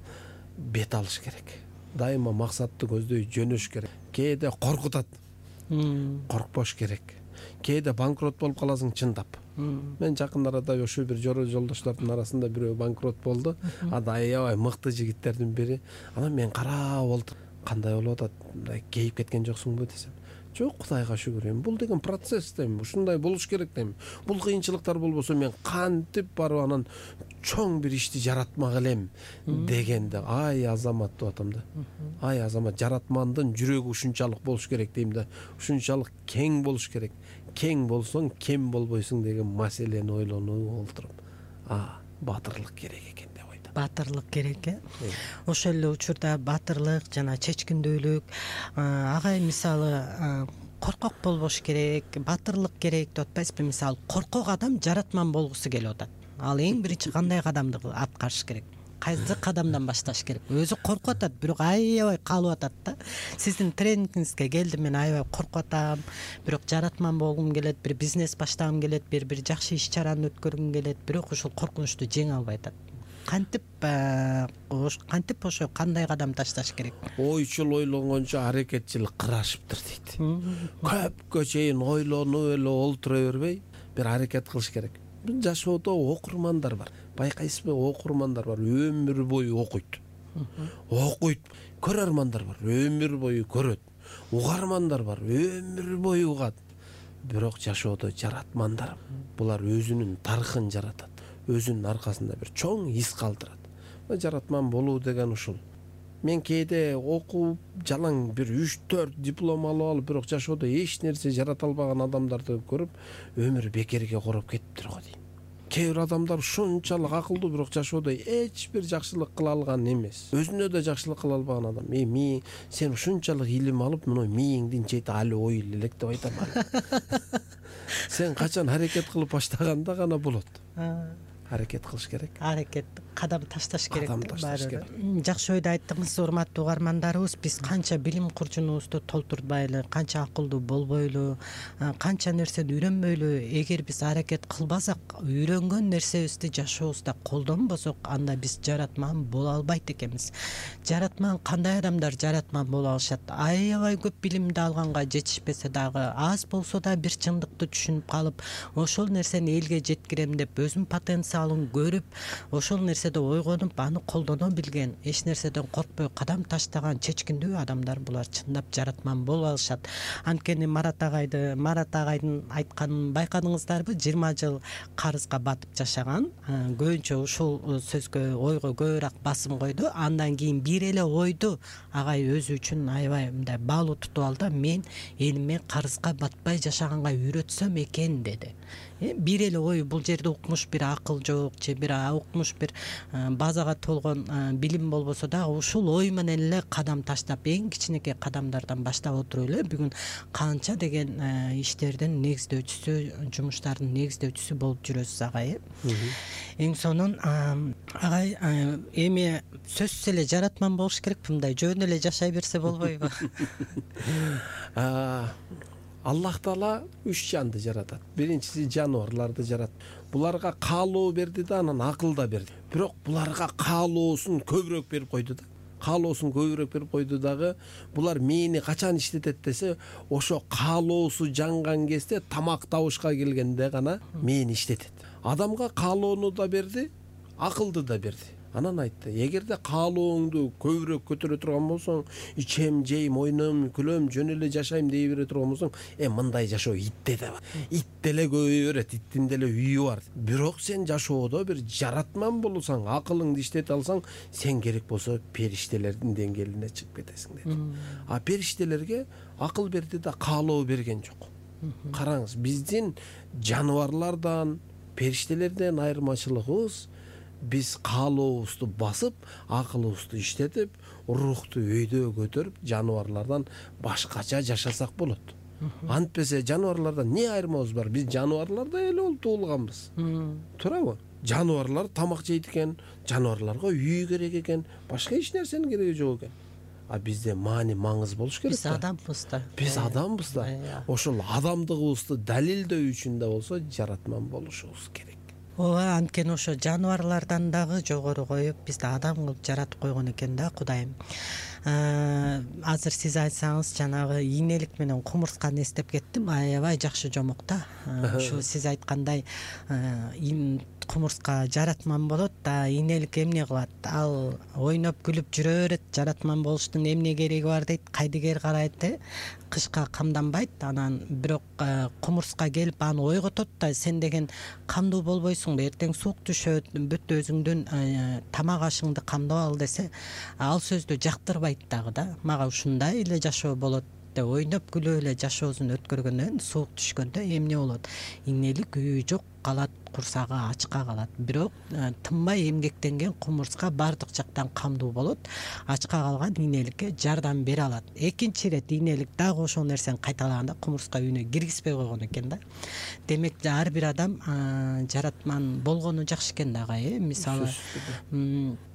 Speaker 3: бет алыш керек. Дайыма максатты көздөй жөнөш керек. Кээде коркутат. Коркпош керек. Кээде банкрот болуп каласың чындап. Мен жакын арада ошо бир жора жолдоштордун арасында бирөө банкрот болду. Ада аябай мыкты жигиттердин бири. Анан мен карап олтуруп, кандай болуп атат? Кейип кеткен жоксуңбу десем. Жок, Кудайга шүгүр, эми бул деген процесс дейм, ушундай болуш керек дейм. Бул кыйынчылыктар болбосо мен кантип барып анан чоң бир ишти жаратмак элем дегенде, ай Азамат деп атам да. Ай Азамат, жаратмандын жүрөгү ушунчалык болуш керек дейм да. Ушунчалык кең болуш керек. Кең болсоң кем болбойсуң деген маселени ойлонуп олтуруп, а батырлык керек экен деп ойдум.
Speaker 2: Батырлык керек э. Ошол эле учурда батырлык жана чечкиндүүлүк, агай мисалы коркок болбош керек, батырлык керек деп атпайсызбы? Мисалы коркок адам жаратман болгусу келип атат. Ал эң биринчи кандай кадамды аткарыш керек? Кайсы кадамдан башташ керек? Өзү коркуп атат, бирок аябай калып атат да. Сиздин тренингиңизге келдим, мен аябай коркуп атам, бирок жаратман болгум келет, бир бизнес баштагым келет, бир бир жакшы иш чараны өткөргүм келет, бирок ошол коркунучту жеңе албай атат. Кантип кантип ошо кандай кадам ташташ керек?
Speaker 3: Ойчул ойлонгончо аракетчил кырашыптыр дейт. Көпкө чейин ойлонуп эле олтура бербей, бир аракет кылыш керек. Бул жашоодо окурмандар бар. Байкайсызбы, окурмандар бар, өмүр бою окуйт. Окуйт. Көрөрмандар бар, өмүр бою көрөт. Угармандар бар, өмүр бою угат. Бирок жашоодо жаратмандар, булар өзүнүн тарыхын жаратат. Өзүнүн аркасында бир чоң из калтырат. Жаратман болуу деген ушул. Мен кээде окуп, жалаң бир үч төрт диплом алып алып, бирок жашоодо эч нерсе жарата албаган адамдарды көрүп, өмүр бекерге короп кетиптир го дейм. Кээ бир адамдар ушунчалык акылдуу, бирок жашоодо эч бир жакшылык кыла алган эмес. Өзүнө да жакшылык кыла албаган адам. Э, ми сен ушунчалык илим алып, мына мээңдин чети али ой элек деп айтам. Сен качан аракет кылып баштаганда гана болот. Аракет кылыш керек.
Speaker 2: Аракет, кадам ташташ керек.
Speaker 3: Кадам ташташ керек.
Speaker 2: Жакшы ойду айттыңыз, урматтуу угармандарыбыз. Биз канча билим курчунубузду толтурбайлы, канча акылдуу болбойлу, канча нерсени үйрөнбөйлү, эгер биз аракет кылбасак, үйрөнгөн нерсебизди жашообузда колдонбосок, анда биз жаратман боло албайт экенбиз. Жаратман кандай адамдар жаратман боло алышат? Аябай көп билимди алганга жетишпесе дагы, аз болсо да бир чындыкты түшүнүп калып, ошол нерсени элге жеткирем деп өзүнүн потенциалын көрүп, ошол нерседе ойгонуп, аны колдоно билген, эч нерседен коркпой кадам таштаган чечкиндүү адамдар булар чындап жаратман боло алышат. Анткени Марат агайды, Марат агайдын айтканын байкадыңыздарбы? жыйырма жыл карызга батып жашаган, көбүнчө ушул сөзгө, ойго көбүрөөк басым койду. Андан кийин бир эле ойду агай өзү үчүн аябай мындай баалуу тутуп алды. Мен элиме карызга батпай жашаганга үйрөтсөм экен деди. Бир эле ой, бул жерде укмуш бир акыл жок, же бир укмуш бир базага толгон билим болбосо дагы ушул ой менен эле кадам таштап, эң кичинекей кадамдардан баштап отуруп эле бүгүн канча деген иштердин негиздөөчүсү, жумуштардын негиздөөчүсү болуп жүрөсүз агай. Эң сонун агай, эми сөзсүз эле жаратман болуш керекпи? Мындай жөн эле жашай берсе болбойбу?
Speaker 3: Аллах Таала үч жанды жаратат. Биринчиси жаныбарларды жаратты. Буларга каалоо берди да, анан акыл да берди. Бирок буларга каалоосун көбүрөөк берип койду да. Каалоосун көбүрөөк берип койду дагы, булар мээни качан иштетет десе, ошо каалоосу жанган кезде тамак табышка келгенде гана мээни иштетет. Адамга каалоону да берди, акылды да берди. Анан айтты, эгерде каалооңду көбүрөөк көтөрө турган болсоң, ичем, жейм, ойнойм, күлөм, жөн эле жашайм дей бере турган болсоң, э мындай жашоо итте да бар. Ит деле көбөйө берет, иттин деле үйү бар. Бирок сен жашоодо бир жаратман болсоң, акылыңды иштете алсаң, сен керек болсо периштелердин деңгээлине чыгып кетесиң деди. А периштелерге акыл берди да, каалоо берген жок. Караңыз, биздин жаныбарлардан, периштелерден айырмачылыгыбыз, биз каалообузду басып, акылыбызды иштетип, рухту өйдө көтөрүп, жаныбарлардан башкача жашасак болот. Антпесе жаныбарлардан эмне айырмабыз бар? Биз жаныбарлардай эле болуп туулганбыз. Туурабы? Жаныбарлар тамак жейт экен, жаныбарларга үй керек экен, башка эч нерсенин кереги жок экен. а бизде маани маңыз болуш керек
Speaker 2: биз
Speaker 3: да.
Speaker 2: адамбыз да.
Speaker 3: Биз адамбыз да. Ошол адамдыгыбызды далилдөө үчүн да болсо жаратман болушубуз керек.
Speaker 2: ооба, анткени ошо жаныбарлардан дагы жогору коюп бизди адам кылып жаратып койгон экен да Кудайым. Азыр сиз айтсаңыз жанагы ийнелик менен кумурсканы эстеп кеттим. Аябай жакшы жомок да. Ушу сиз айткандай кумурска жаратман болот да, ийнелик эмне кылат? Ал ойноп күлүп жүрө берет. Жаратман болуштун эмне кереги бар дейт. Кайдыгер карайт, э? Кышка камданбайт. Анан бирок кумурска келип аны ойготот да, сен деген камдуу болбойсуңбу? Эртең суук түшөт, бүт өзүңдүн тамак ашыңды камдап ал десе, ал сөздү жактырбайт дагы да. Мага ушундай эле жашоо болот деп ойноп күлүп эле жашоосун өткөргөндөн суук түшкөндө эмне болот? Ийнелик үйү жок калат, курсагы ачка калат. Бирок тынбай эмгектенген кумурска бардык жактан камдуу болот. Ачка калган ийнеликке жардам бере алат. Экинчи ирет ийнелик дагы ошол нерсени кайталаганда кумурска үйүнө киргизбей койгон экен да. Демек ар бир адам жаратман болгону жакшы экен дагы, э? Мисалы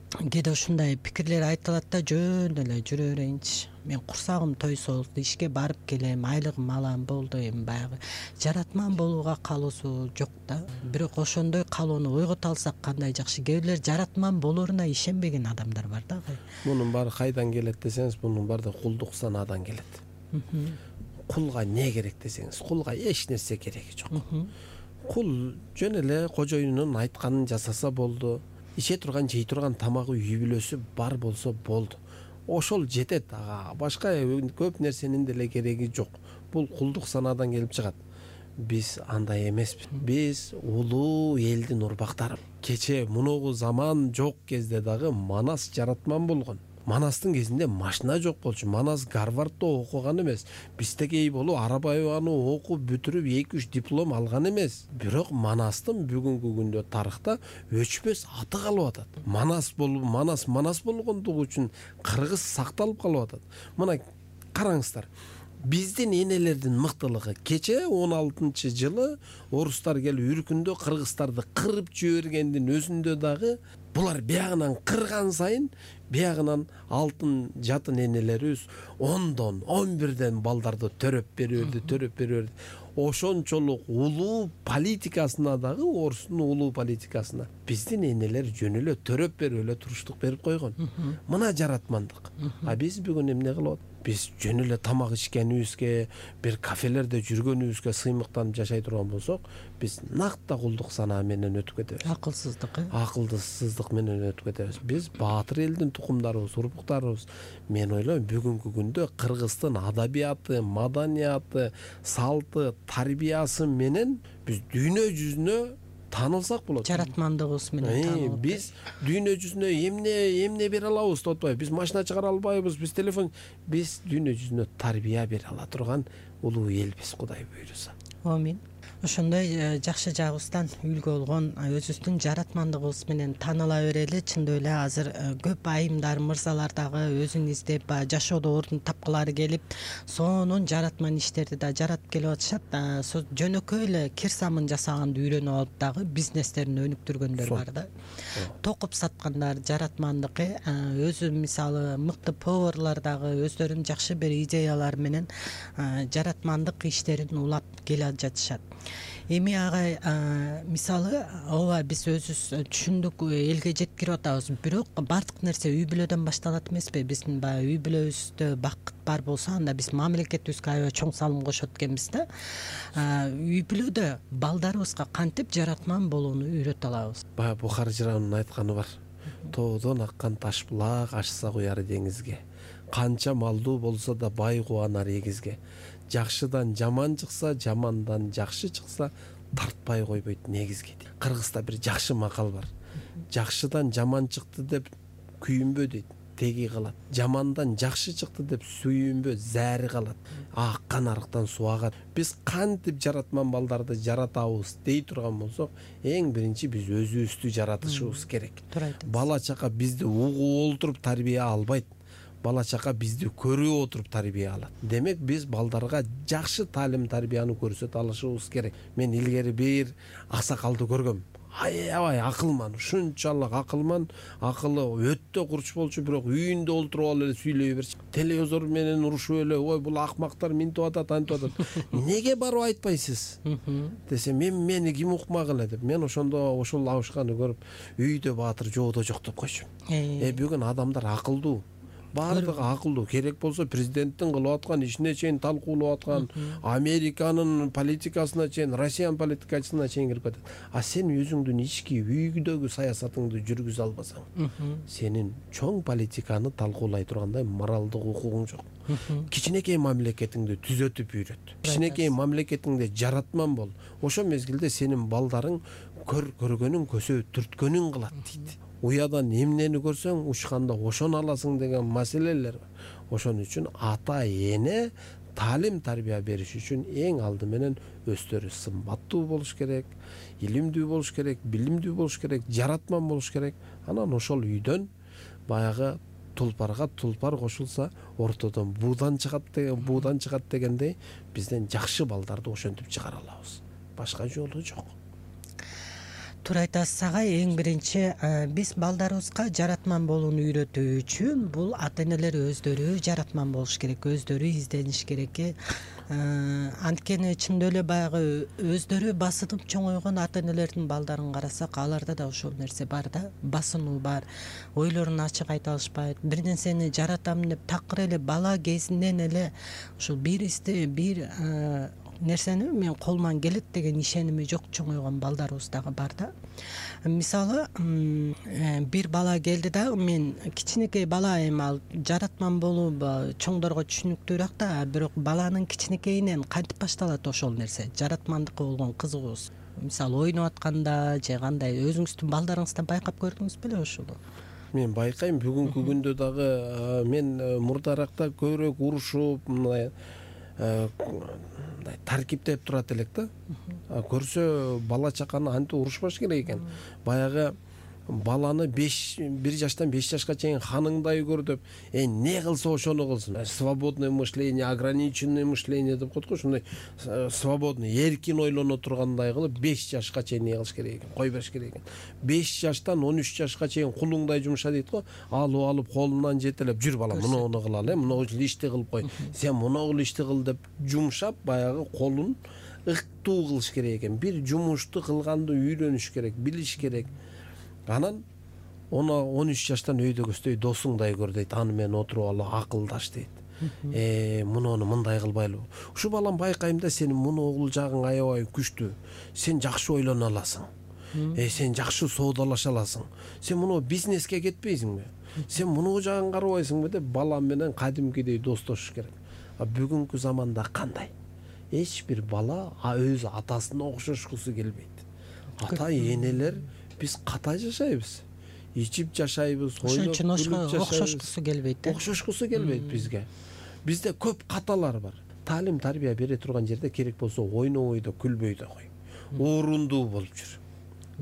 Speaker 2: кээде ушундай пикирлер айтылат да, жөн эле жүрө берейинчи. Мен курсагым тойсо, ишке барып келем, айлыгым алам, болду. Эми баягы жаратман болууга каалоосу жок да. Бирок ошондой каалоону ойгото алсак кандай жакшы. Кээ бирлер жаратман болоруна ишенбеген адамдар бар да.
Speaker 3: Мунун баары кайдан келет десеңиз, мунун баары кулдук санаадан келет. Кулга не керек десеңиз, кулга эч нерсе кереги жок. Кул жөн эле кожоюнун айтканын жасаса болду. Ише турган, жей турган тамагы, үй бүлөсү бар болсо болду. Ошол жетет. Ага, башка көп нерсенин деле кереги жок. Бул кулдук санаадан келип чыгат. Биз андай эмеспиз. Биз улуу элдин урбактары. Кече мунугу заман жок кезде дагы Манас жаратман болгон. Манастын кезинде машина жок болчу. Манас Гарвардда окуган эмес. Биздегей болуп арабаны окуп бүтүрүп эки үч диплом алган эмес. Бирок Манастын бүгүнкү күндө тарыхта өчпөс аты калып атат. Манас болуп, Манас Манас болгондугу үчүн кыргыз сакталып калып атат. Мына караңыздар. Биздин энелердин мыктылыгы кече он алтынчы жылы орустар келип үркүндө кыргыздарды кырып жибергендин өзүндө дагы булар биягынан кырган сайын биягынан алтын жатын энелерибиз ондон он бирден балдарды төрөп берип, төрөп берип. Ошончолук улуу политикасына дагы, орустун улуу политикасына биздин энелер жөн эле төрөп берип эле туруштук берип койгон. Мына жаратмандык. А биз бүгүн эмне кылып? Биз жөн эле тамак ичкенибизге, бир кафелерде жүргөнүбүзгө сыймыктанып жашай турган болсок, биз накта кулдук санаа менен өтүп кетебиз.
Speaker 2: Акылсыздык, э?
Speaker 3: Акылсыздык менен өтүп кетебиз. Биз баатыр элдин тукумдарыбыз, урпуктарыбыз. Мен ойлойм, бүгүнкү күндө кыргыздын адабияты, маданияты, салты, тарбиясы менен биз дүйнө жүзүнө таанылсак болот.
Speaker 2: Жаратмандыгыбыз менен таанылып.
Speaker 3: Биз дүйнө жүзүнө эмне эмне бере алабыз деп атпайбыз. Биз машина чыгара албайбыз, биз телефон, биз дүйнө жүзүнө тарбия бере ала турган улуу элбиз, Кудай буйруса.
Speaker 2: Амин. Ошондой жакшы жагыбыздан үлгү болгон өзүбүздүн жаратмандыгыбыз менен тааныла берели. Чындап эле азыр көп айымдар, мырзалар дагы өзүн издеп, жашоодо ордун тапкылары келип, сонун жаратман иштерди да жаратып келип атышат. Жөнөкөй эле кир самын жасаганды үйрөнүп алып дагы бизнестерин өнүктүргөндөр бар да. Токуп саткандар жаратмандык, өзү мисалы мыкты поварлар дагы өздөрүнүн жакшы бир идеялар менен жаратмандык иштерин улап келе жатышат. Эми агай мисалы ооба биз өзүбүз түшүндүк, элге жеткирип атабыз, бирок бардык нерсе үй бүлөдөн башталат эмеспи? Биздин баягы үй бүлөбүздө бакыт бар болсо, анда биз мамлекетибизге аябай чоң салым кошот экенбиз да. Үй бүлөдө балдарыбызга кантип жаратман болууну үйрөтө алабыз? Баягы
Speaker 3: Бухар жыраанын айтканы бар. Тоодон аккан таш булак ашса куяр деңизге. Канча малдуу болсо да бай кубанар эгизге. Жакшыдан жаман чыкса, жамандан жакшы чыкса, тартпай койбойт негизге. Кыргызда бир жакшы макал бар. Жакшыдан жаман чыкты деп күйүнбө дейт, теги калат. Жамандан жакшы чыкты деп сүйүнбө, зәри калат. Аккан арыктан суу агат. Биз кантип жаратман балдарды жаратабыз дей турган болсок, эң биринчи биз өзүбүздү жаратышыбыз керек. Бала чака бизди угуп олтуруп тарбия албайт. Бала чака бизди көрүп отуруп тарбия алат. Демек биз балдарга жакшы таалим тарбияны көрсөтө алышыбыз керек. Мен илгери бир аксакалды көргөм. аябай акылман, ушунчалык акылман, акылы өтө курч болчу, бирок үйүндө олтуруп алып эле сүйлөй берчү. Телевизор менен урушуп эле, ой бул акмактар минтип атат, антип атат. Неге барып айтпайсыз? Десе, мен мени ким укмак эле деп. Мен ошондо ошол абышканы көрүп, үйдө баатыр жоодо жок деп койчумун. Э бүгүн адамдар акылдуу. Бардыгы акылдуу. Керек болсо президенттин кылып аткан ишине чейин талкуулап аткан, Американын политикасына чейин, Россиянын политикасына чейин кирип кетет. А сен өзүңдүн ички үйдөгү саясатыңды жүргүзө албасаң, сенин чоң политиканы талкуулай тургандай моралдык укугуң жок. Кичинекей мамлекетиңди түзөтүп үйрөт. Кичинекей мамлекетиңде жаратман бол. Ошол мезгилде сенин балдарың көр көргөнүн көсө түрткөнүн кылат дейт. Уядан эмнени көрсөң, учканда ошону аласың деген маселелер бар. Ошон үчүн ата эне таалим тарбия бериш үчүн эң алды менен өздөрү сымбаттуу болуш керек, илимдүү болуш керек, билимдүү болуш керек, жаратман болуш керек. Анан ошол үйдөн баягы тулпарга тулпар кошулса, ортодон буудан чыгат деген, буудан чыгат дегендей, бизден жакшы балдарды ошентип чыгара алабыз. Башка жолу жок.
Speaker 2: Туура айтасыз агай. Эң биринчи биз балдарыбызга жаратман болууну үйрөтүү үчүн бул ата энелер өздөрү жаратман болуш керек, өздөрү издениш керек. Анткени чындап эле баягы өздөрү басынып чоңойгон ата энелердин балдарын карасак, аларда да ошол нерсе бар да, басынуу бар. Ойлорун ачык айта алышпайт. Бир нерсени жаратам деп такыр эле бала кезинен эле ушул бир исте бир нерсени мен колуман келет деген ишеними жок чоңойгон балдарыбыз дагы бар да. Мисалы, бир бала келди да, мен кичинекей бала эми ал жаратман болуу чоңдорго түшүнүктүүрөөк да, бирок баланын кичинекейинен кантип башталат ошол нерсе? Жаратмандыкка болгон кызыгуусу. Мисалы, ойноп атканда же кандай, өзүңүздүн балдарыңыздан байкап көрдүңүз беле ошону?
Speaker 3: Мен байкайм, бүгүнкү күндө дагы мен мурдаракта көбүрөөк урушуп, мындай таркиптеп турат элек да. Көрсө бала чаканы антип урушпаш керек экен. Баягы баланы бир жаштан беш жашка чейин ханыңдай көр деп, э не кылса ошону кылсын. Свободное мышление, ограниченное мышление деп коет го, ушундай свободный, эркин ойлоно тургандай кылып беш жашка чейин не кылыш керек экен, кой бериш керек экен. беш жаштан он үч жашка чейин кулуңдай жумша дейт го. Алып алып колунан жетелеп, жүр балам, муну кылалы, муну ишти кылып кой. Сен муну ишти кыл деп жумшап, баягы колун ыктуу кылыш керек экен. Бир жумушту кылганды үйрөнүш керек, билиш керек. Анан он үч жаштан өйдөгөсдөй досуңдай көр дейт. Аны менен отуруп алып акылдаш дейт. Э муну мындай кылбайлы. Ушу балам байкайм да, сенин муну огул жагың аябай күчтүү. Сен жакшы ойлоно аласың. Э сен жакшы соодалаша аласың. Сен муну бизнеске кетпейсиңби? Сен муну жагын карабайсыңбы деп бала менен кадимкидей достошуш керек. А бүгүнкү заманда кандай? Эч бир бала өз атасына окшошкусу келбейт. Ата энелер биз ката жашайбыз, ичип жашайбыз, ойлоп жашайбыз.
Speaker 2: Окшошкусу келбейт.
Speaker 3: Окшошкусу келбейт бизге. Бизде көп каталар бар. Таалим тарбия бере турган жерде керек болсо ойнобой да, күлбөй да кой. Орунду болуп жүр.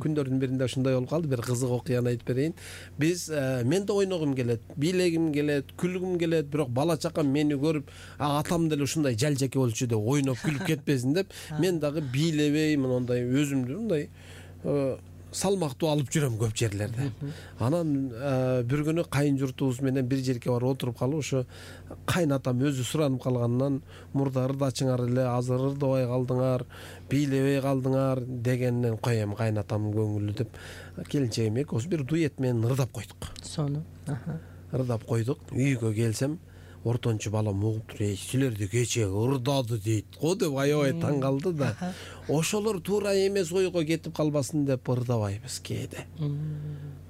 Speaker 3: Күндөрдүн биринде ушундай болуп калды, бир кызык окуяны айтып берейин. Биз мен да ойногум келет, бийлегим келет, күлгүм келет, бирок бала чакам мени көрүп, атам деле ушундай жалжеке болчу деп ойноп күлүп кетпесин деп, мен дагы бийлебей, мындай өзүмдү мындай салмактуу алып жүрөм көп жерлерде. Анан бир күнү кайын журтубуз менен бир жерге барып отуруп калып, ошо кайнатам өзү суранып калганынан, мурда ырдачыңар эле, азыр ырдабай калдыңар, бийлебей калдыңар дегеннен, коем кайнатам көңүлү деп, келинчегим экөөбүз бир дуэт менен ырдап койдук.
Speaker 2: Сону.
Speaker 3: Ырдап койдук. Үйгө келсем, ортончу балам угуп туруп, "Эй, силерди кечээ ырдады" дейт го деп аябай таң калды да. Ошолор туура эмес ойго кетип калбасын деп ырдабайбыз кээде.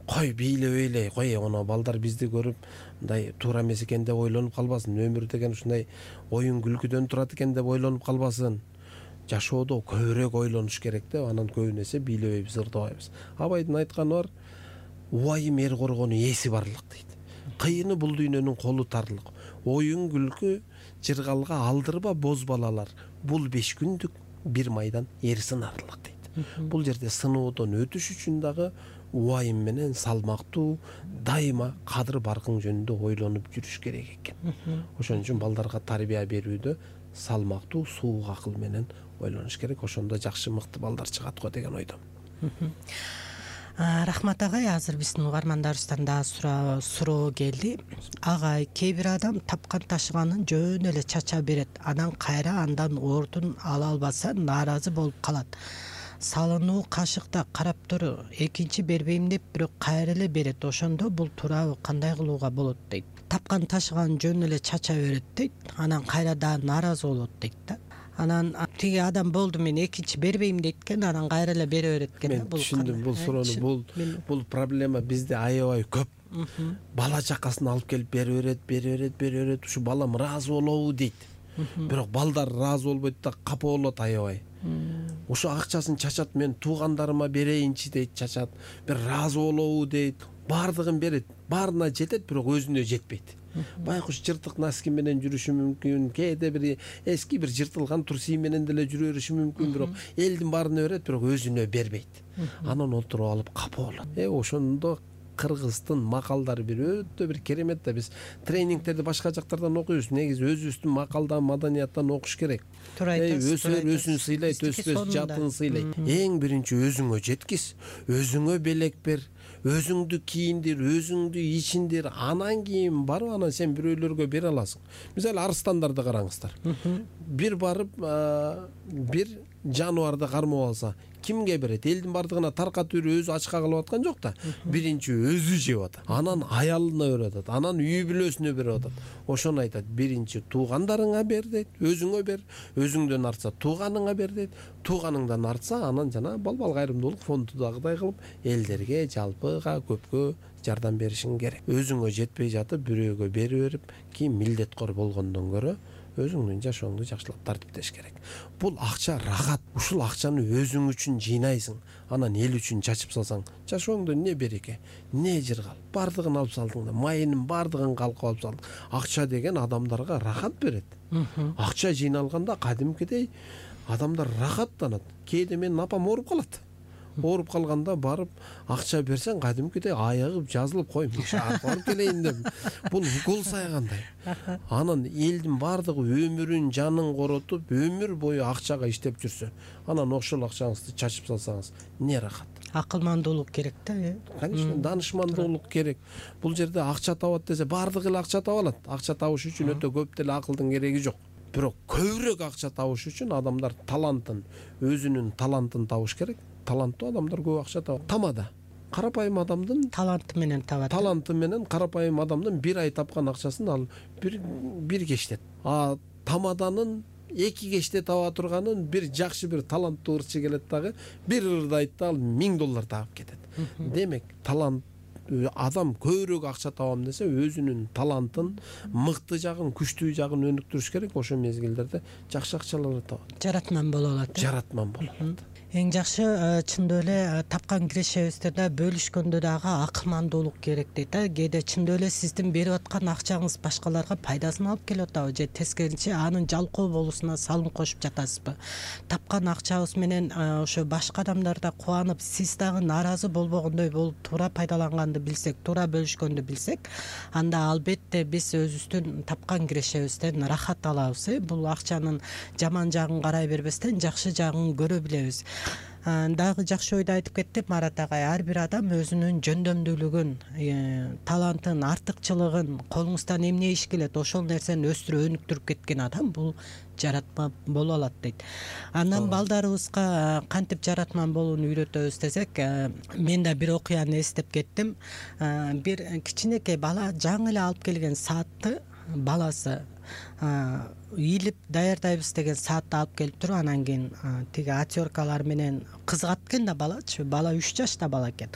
Speaker 3: Кой бийлебей эле, кой оно балдар бизди көрүп, мындай туура эмес экен деп ойлонуп калбасын. Өмүр деген ушундай оюн күлкүдөн турат экен деп ойлонуп калбасын. Жашоодо көбүрөөк ойлонуш керек деп, анан көбүн эсе бийлебейбиз, ырдабайбыз. Абайдын айтканы бар, убайым эр коргону эси барлык дейт. Кыйыны бул дүйнөнүн колу тарлык. Оюн күлкү жыргалга алдырба боз балалар. Бул беш күндүк бир майдан эр сынарлык дейт. Бул жерде сыноодон өтүш үчүн дагы убайым менен салмактуу, дайыма кадыр баркың жөнүндө ойлонуп жүрүш керек экен. Ошон үчүн балдарга тарбия берүүдө салмактуу, суук акыл менен ойлонуш керек. Ошондо жакшы, мыкты балдар чыгат го деген ойдом.
Speaker 2: Рахмат агай, азыр биздин угармандарыбыздан дагы суроо келди. Агай, кээ бир адам тапкан ташыганын жөн эле чача берет, анан кайра андан ордун ала албаса нааразы болуп калат. Салынуу кашыкта карап тур, экинчи бербейм деп бирок кайра эле берет. Ошондо бул туурабы, кандай кылууга болот дейт. Тапкан ташыганын жөн эле чача берет дейт, анан кайра дагы нааразы болот дейт да. Анан тиги адам болду, мен экинчи бербейм дейт экен, анан кайра эле бере берет экен.
Speaker 3: Мен түшүндүм бул суроону. Бул бул проблема бизде аябай көп. Бала чакасын алып келип бере берет, бере берет, бере берет. Ушу балам ыраазы болобу дейт. Бирок балдар ыраазы болбойт да, капа болот аябай. Ошо акчасын чачат, мен туугандарыма берейинчи дейт, чачат. Бир ыраазы болобу дейт. Бардыгын берет, баарына жетет, бирок өзүнө жетпейт. Байкуш жыртык носки менен жүрүшү мүмкүн, кээде бир эски бир жыртылган труси менен деле жүрө бериши мүмкүн, бирок элдин баарына берет, бирок өзүнө бербейт. Анан отуруп алып капа болот. Э ошондо кыргыздын макалдары бир өтө бир керемет да. Биз тренингтерди башка жактардан окуйбуз. Негизи өзүбүздүн макалдан, маданияттан окуш керек. Э өсөр өзүн сыйлайт, өспөс жатын сыйлайт. Эң биринчи өзүңө жеткиз, өзүңө белек бер, өзүңдү кийиндир, өзүңдү ичиндир, анан кийин барып анан сен бирөөлөргө бере аласың. Мисалы арстандарды караңыздар. Бир барып бир жаныбарды кармап алса, кимге берет? Элдин бардыгына таркатып берип өзү ачка кылып аткан жок да. Биринчи өзү жеп атат, анан аялына берип атат, анан үй бүлөсүнө берип атат. Ошону айтат, биринчи туугандарыңа бер дейт, өзүңө бер, өзүңдөн артса тууганыңа бер дейт, тууганыңдан артса анан жана балбал кайрымдуулук фондудагыдай кылып элдерге, жалпыга, көпкө жардам беришиң керек. Өзүңө жетпей жатып бирөөгө бере берип, кийин милдеткор болгондон көрө өзүңдүн жашооңду жакшылап тартиптеш керек. Бул акча рахат. Ушул акчаны өзүң үчүн жыйнайсың, анан эл үчүн чачып салсаң, жашооңдо не береке, не жыргал. Бардыгын алып салдың да, майынын бардыгын калкып алып салдың. Акча деген адамдарга рахат берет. Акча жыйналганда кадимкидей адамдар рахаттанат. Кээде менин апам ооруп калат. Ооруп калганда барып акча берсең, кадимкидей аягып жазылып койм, шаар барып келейин деп. Бул укол сайгандай. Анан элдин бардыгы өмүрүн, жанын коротуп, өмүр бою акчага иштеп жүрсө, анан ошол акчаңызды чачып салсаңыз, не рахат.
Speaker 2: Акылмандуулук керек да, э?
Speaker 3: Конечно, данышмандуулук керек. Бул жерде акча табат десе, бардыгы эле акча таба алат. Акча табыш үчүн өтө көп деле акылдын кереги жок. Бирок көбүрөөк акча табыш үчүн адамдар талантын, өзүнүн талантын табыш керек. Таланттуу адамдар көп акча табат. Тамада карапайым адамдын
Speaker 2: таланты менен табат.
Speaker 3: Таланты менен карапайым адамдын бир ай тапкан акчасын ал бир бир кечте. А тамаданын эки кечте таба турганын бир жакшы бир таланттуу ырчы келет дагы бир ырды айтты, ал миң доллар таап кетет. Демек, талант адам көбүрөөк акча табам десе, өзүнүн талантын, мыкты жагын, күчтүү жагын өнүктүрүш керек. Ошол мезгилдерде жакшы акчалар табат.
Speaker 2: Жаратман боло алат.
Speaker 3: Жаратман боло алат.
Speaker 2: Эң жакшы чындоо эле тапкан кирешебизде бөлүшкөндө дагы акылмандуулук керек дейт. Кээде чындоо эле сиздин берип аткан акчаңыз башкаларга пайдасын алып келип атабы же тескерисинче анын жалкоо болуусуна салым кошуп жатасызбы? Тапкан акчабыз менен ошо башка адамдар да кубанып, сиз дагы нааразы болбогондой болуп туура пайдаланганды билсек, туура бөлүшкөндү билсек, анда албетте биз өзүбүздүн тапкан кирешебизден рахат алабыз. Бул акчанын жаман жагын карай бербестен жакшы жагын көрө билебиз. Дагы жакшы ойду айтып кетти Марат агай. Ар бир адам өзүнүн жөндөмдүүлүгүн, талантын, артыкчылыгын, колуңуздан эмне иш келет, ошол нерсени өстүрүп, өнүктүрүп кеткен адам бул жаратма боло алат дейт. Андан балдарыбызга кантип жаратман болууну үйрөтөбүз десек, мен да бир окуяны эстеп кеттим. Бир кичинекей бала жаңы эле алып келген саатты баласы ийилип даярдайбыз деген саатты алып келип туруп, анан кийин тиги отёркалар менен кызгат экен да балачы, бала үч жашта бала экен.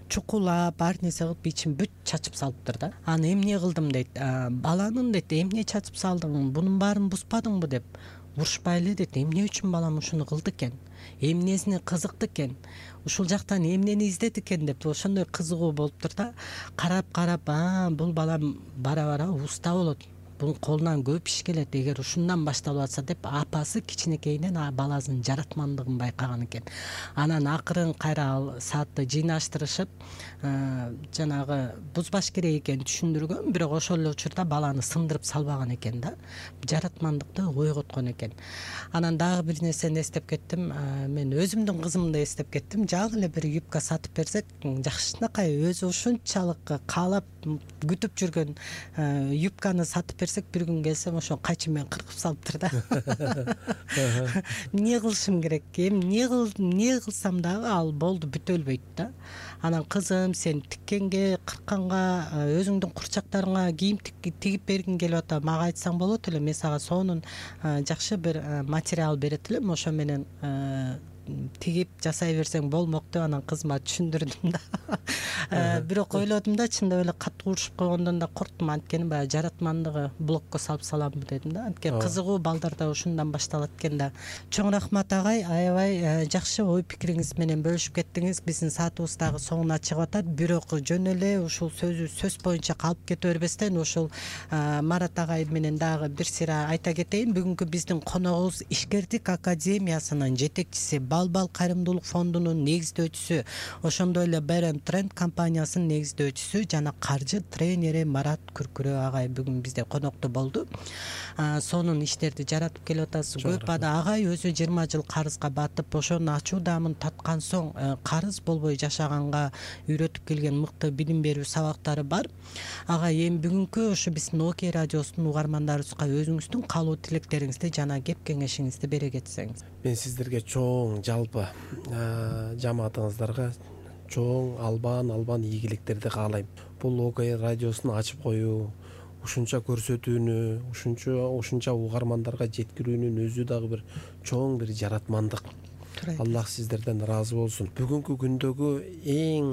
Speaker 2: Чукулап, ар нерсе кылып ичин бүт чачып салыптыр да. Аны эмне кылдым дейт. Баланын дейт, эмне чачып салдың, бунун баарын буспадыңбы деп. Урушпай эле дейт, эмне үчүн балам ушуну кылды экен, эмнесине кызыкты экен, ушул жактан эмнени издеди экен деп ошондой кызыгуу болуптур да. Карап карап, а бул балам бара бара уста болот, бунун колунан көп иш келет, эгер ушундан башталып атса деп апасы кичинекейинен баласынын жаратмандыгын байкаган экен. Анан акырын кайра ал саатты жыйнаштырышып, жанагы бузбаш керек экенин түшүндүргөн, бирок ошол эле учурда баланы сындырып салбаган экен да, жаратмандыкты ойготкон экен. Анан дагы бир нерсени эстеп кеттим, мен өзүмдүн кызымды эстеп кеттим. Жагы эле бир юбка сатып берсек, жакшынакай өзү ушунчалык каалап күтүп жүргөн юбканы сатып берсек, бир күн келсем ошо кайчы менен кыркып салыптыр да. Эмне кылышым керек? Эмне кыл, эмне кылсам дагы ал болду, бүтө өлбөйт да. Анан кызым, сен тиккенге, кыркканга, өзүңдүн курчактарыңа кийим тигип бергиң келип атат, мага айтсаң болот эле, мен сага сонун жакшы бир материал берет элем, ошо менен тигип жасай берсең болмок деп анан кызыма түшүндүрдүм да. Бирок ойлодум да, чындап эле катуу урушуп койгондон да корктум, анткени баягы жаратмандыгы блокко салып саламбы дедим да. Анткени кызыгуу балдарда ушундан башталат экен да. Чоң рахмат агай, аябай жакшы ой пикириңиз менен бөлүшүп кеттиңиз. Биздин саатыбыз дагы соңуна чыгып атат. Бирок жөн эле ушул сөзү сөз боюнча калып кете бербестен, ушул Марат агай менен дагы бир сыйра айта кетейин. Бүгүнкү биздин коногубуз Ишкердик академиясынын жетекчиси, Балбал кайрымдуулук фондунун негиздөөчүсү, ошондой эле Берем Тренд компаниясынын негиздөөчүсү жана каржы тренери Марат Күркүрө агай бүгүн бизде конокто болду. Сонун иштерди жаратып келип атасыз. Көп ада агай өзү жыйырма жыл карызга батып, ошонун ачуу даамын таткан соң карыз болбой жашаганга үйрөтүп келген мыкты билим берүү сабактары бар. Агай, эми бүгүнкү ошо биздин Окей радиосунун угармандарыбызга өзүңүздүн каалоо тилектериңизди жана кеп кеңешиңизди бере кетсеңиз.
Speaker 3: Мен сиздерге чоң жалпы жамаатыңыздарга чоң албан албан ийгиликтерди каалайм. Бул Окей радиосун ачып коюу, ушунча көрсөтүүнү, ушунча ушунча угармандарга жеткирүүнүн өзү дагы бир чоң бир жаратмандык. Аллах сиздерден ыраазы болсун. Бүгүнкү күндөгү эң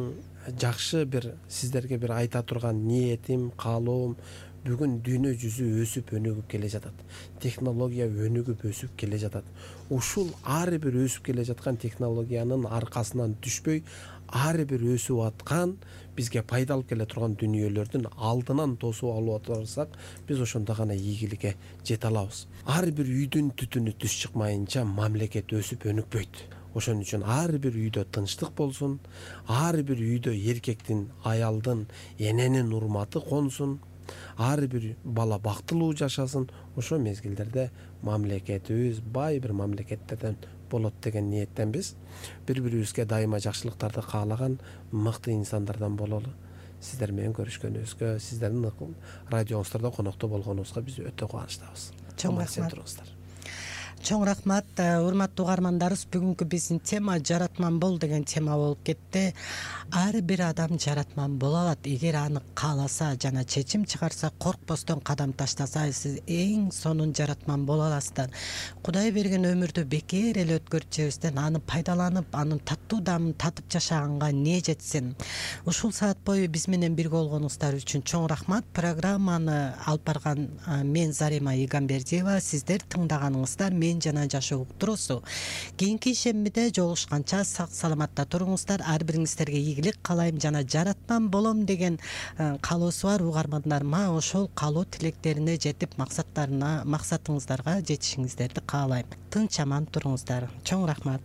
Speaker 3: жакшы бир сиздерге бир айта турган ниетим, каалоом, бүгүн дүйнө жүзү өсүп өнүгүп келе жатат. Технология өнүгүп өсүп келе жатат. Ушул ар бир өсүп келе жаткан технологиянын аркасынан түшпөй, ар бир өсүп аткан бизге пайда алып келе турган дүнүйөлөрдүн алдынан тосуп алып отурсак, биз ошондо гана ийгиликке жете алабыз. Ар бир үйдүн түтүнү түз чыкмайынча мамлекет өсүп өнүкпөйт. Ошон үчүн ар бир үйдө тынчтык болсун, ар бир үйдө эркектин, аялдын, эненин урматы консун, ар бир бала бактылуу жашасын. Ошо мезгилдерде мамлекетибиз бай бир мамлекеттерден болот деген ниеттенбиз. Бири-бирибизге дайыма жакшылыктарды каалаган мыкты инсандардан бололу. Сиздер менен көрүшкөнүбүзгө, сиздердин радиоңуздарда конокто болгонубузга биз өтө кубанычтабыз.
Speaker 2: Чоң рахмат. Чоң рахмат, урматтуу угармандарыбыз. Бүгүнкү биздин тема жаратман бол деген тема болуп кетти. Ар бир адам жаратман боло алат, эгер аны кааласа жана чечим чыгарса, коркпостон кадам таштаса, сиз эң сонун жаратман боло аласыздар. Кудай берген өмүрдү бекер эле өткөрүп аны пайдаланып, анын таттуу даамын татып жашаганга не жетсин. Ушул саат бою биз менен бирге болгонуңуздар үчүн чоң рахмат. Программаны алып барган мен Зарима Игамбердиева, сиздер тыңдаганыңыздар мен жана жашоо уктуруусу. Кийинки ишембиде жолугушканча сак саламатта туруңуздар. Ар бириңиздерге ийгилик каалайм жана жаратман болом деген каалоосу бар угармандарыма ошол каалоо тилектерине жетип максаттарына, максатыңыздарга жетишиңиздерди каалайм. Тынч аман туруңуздар. Чоң рахмат.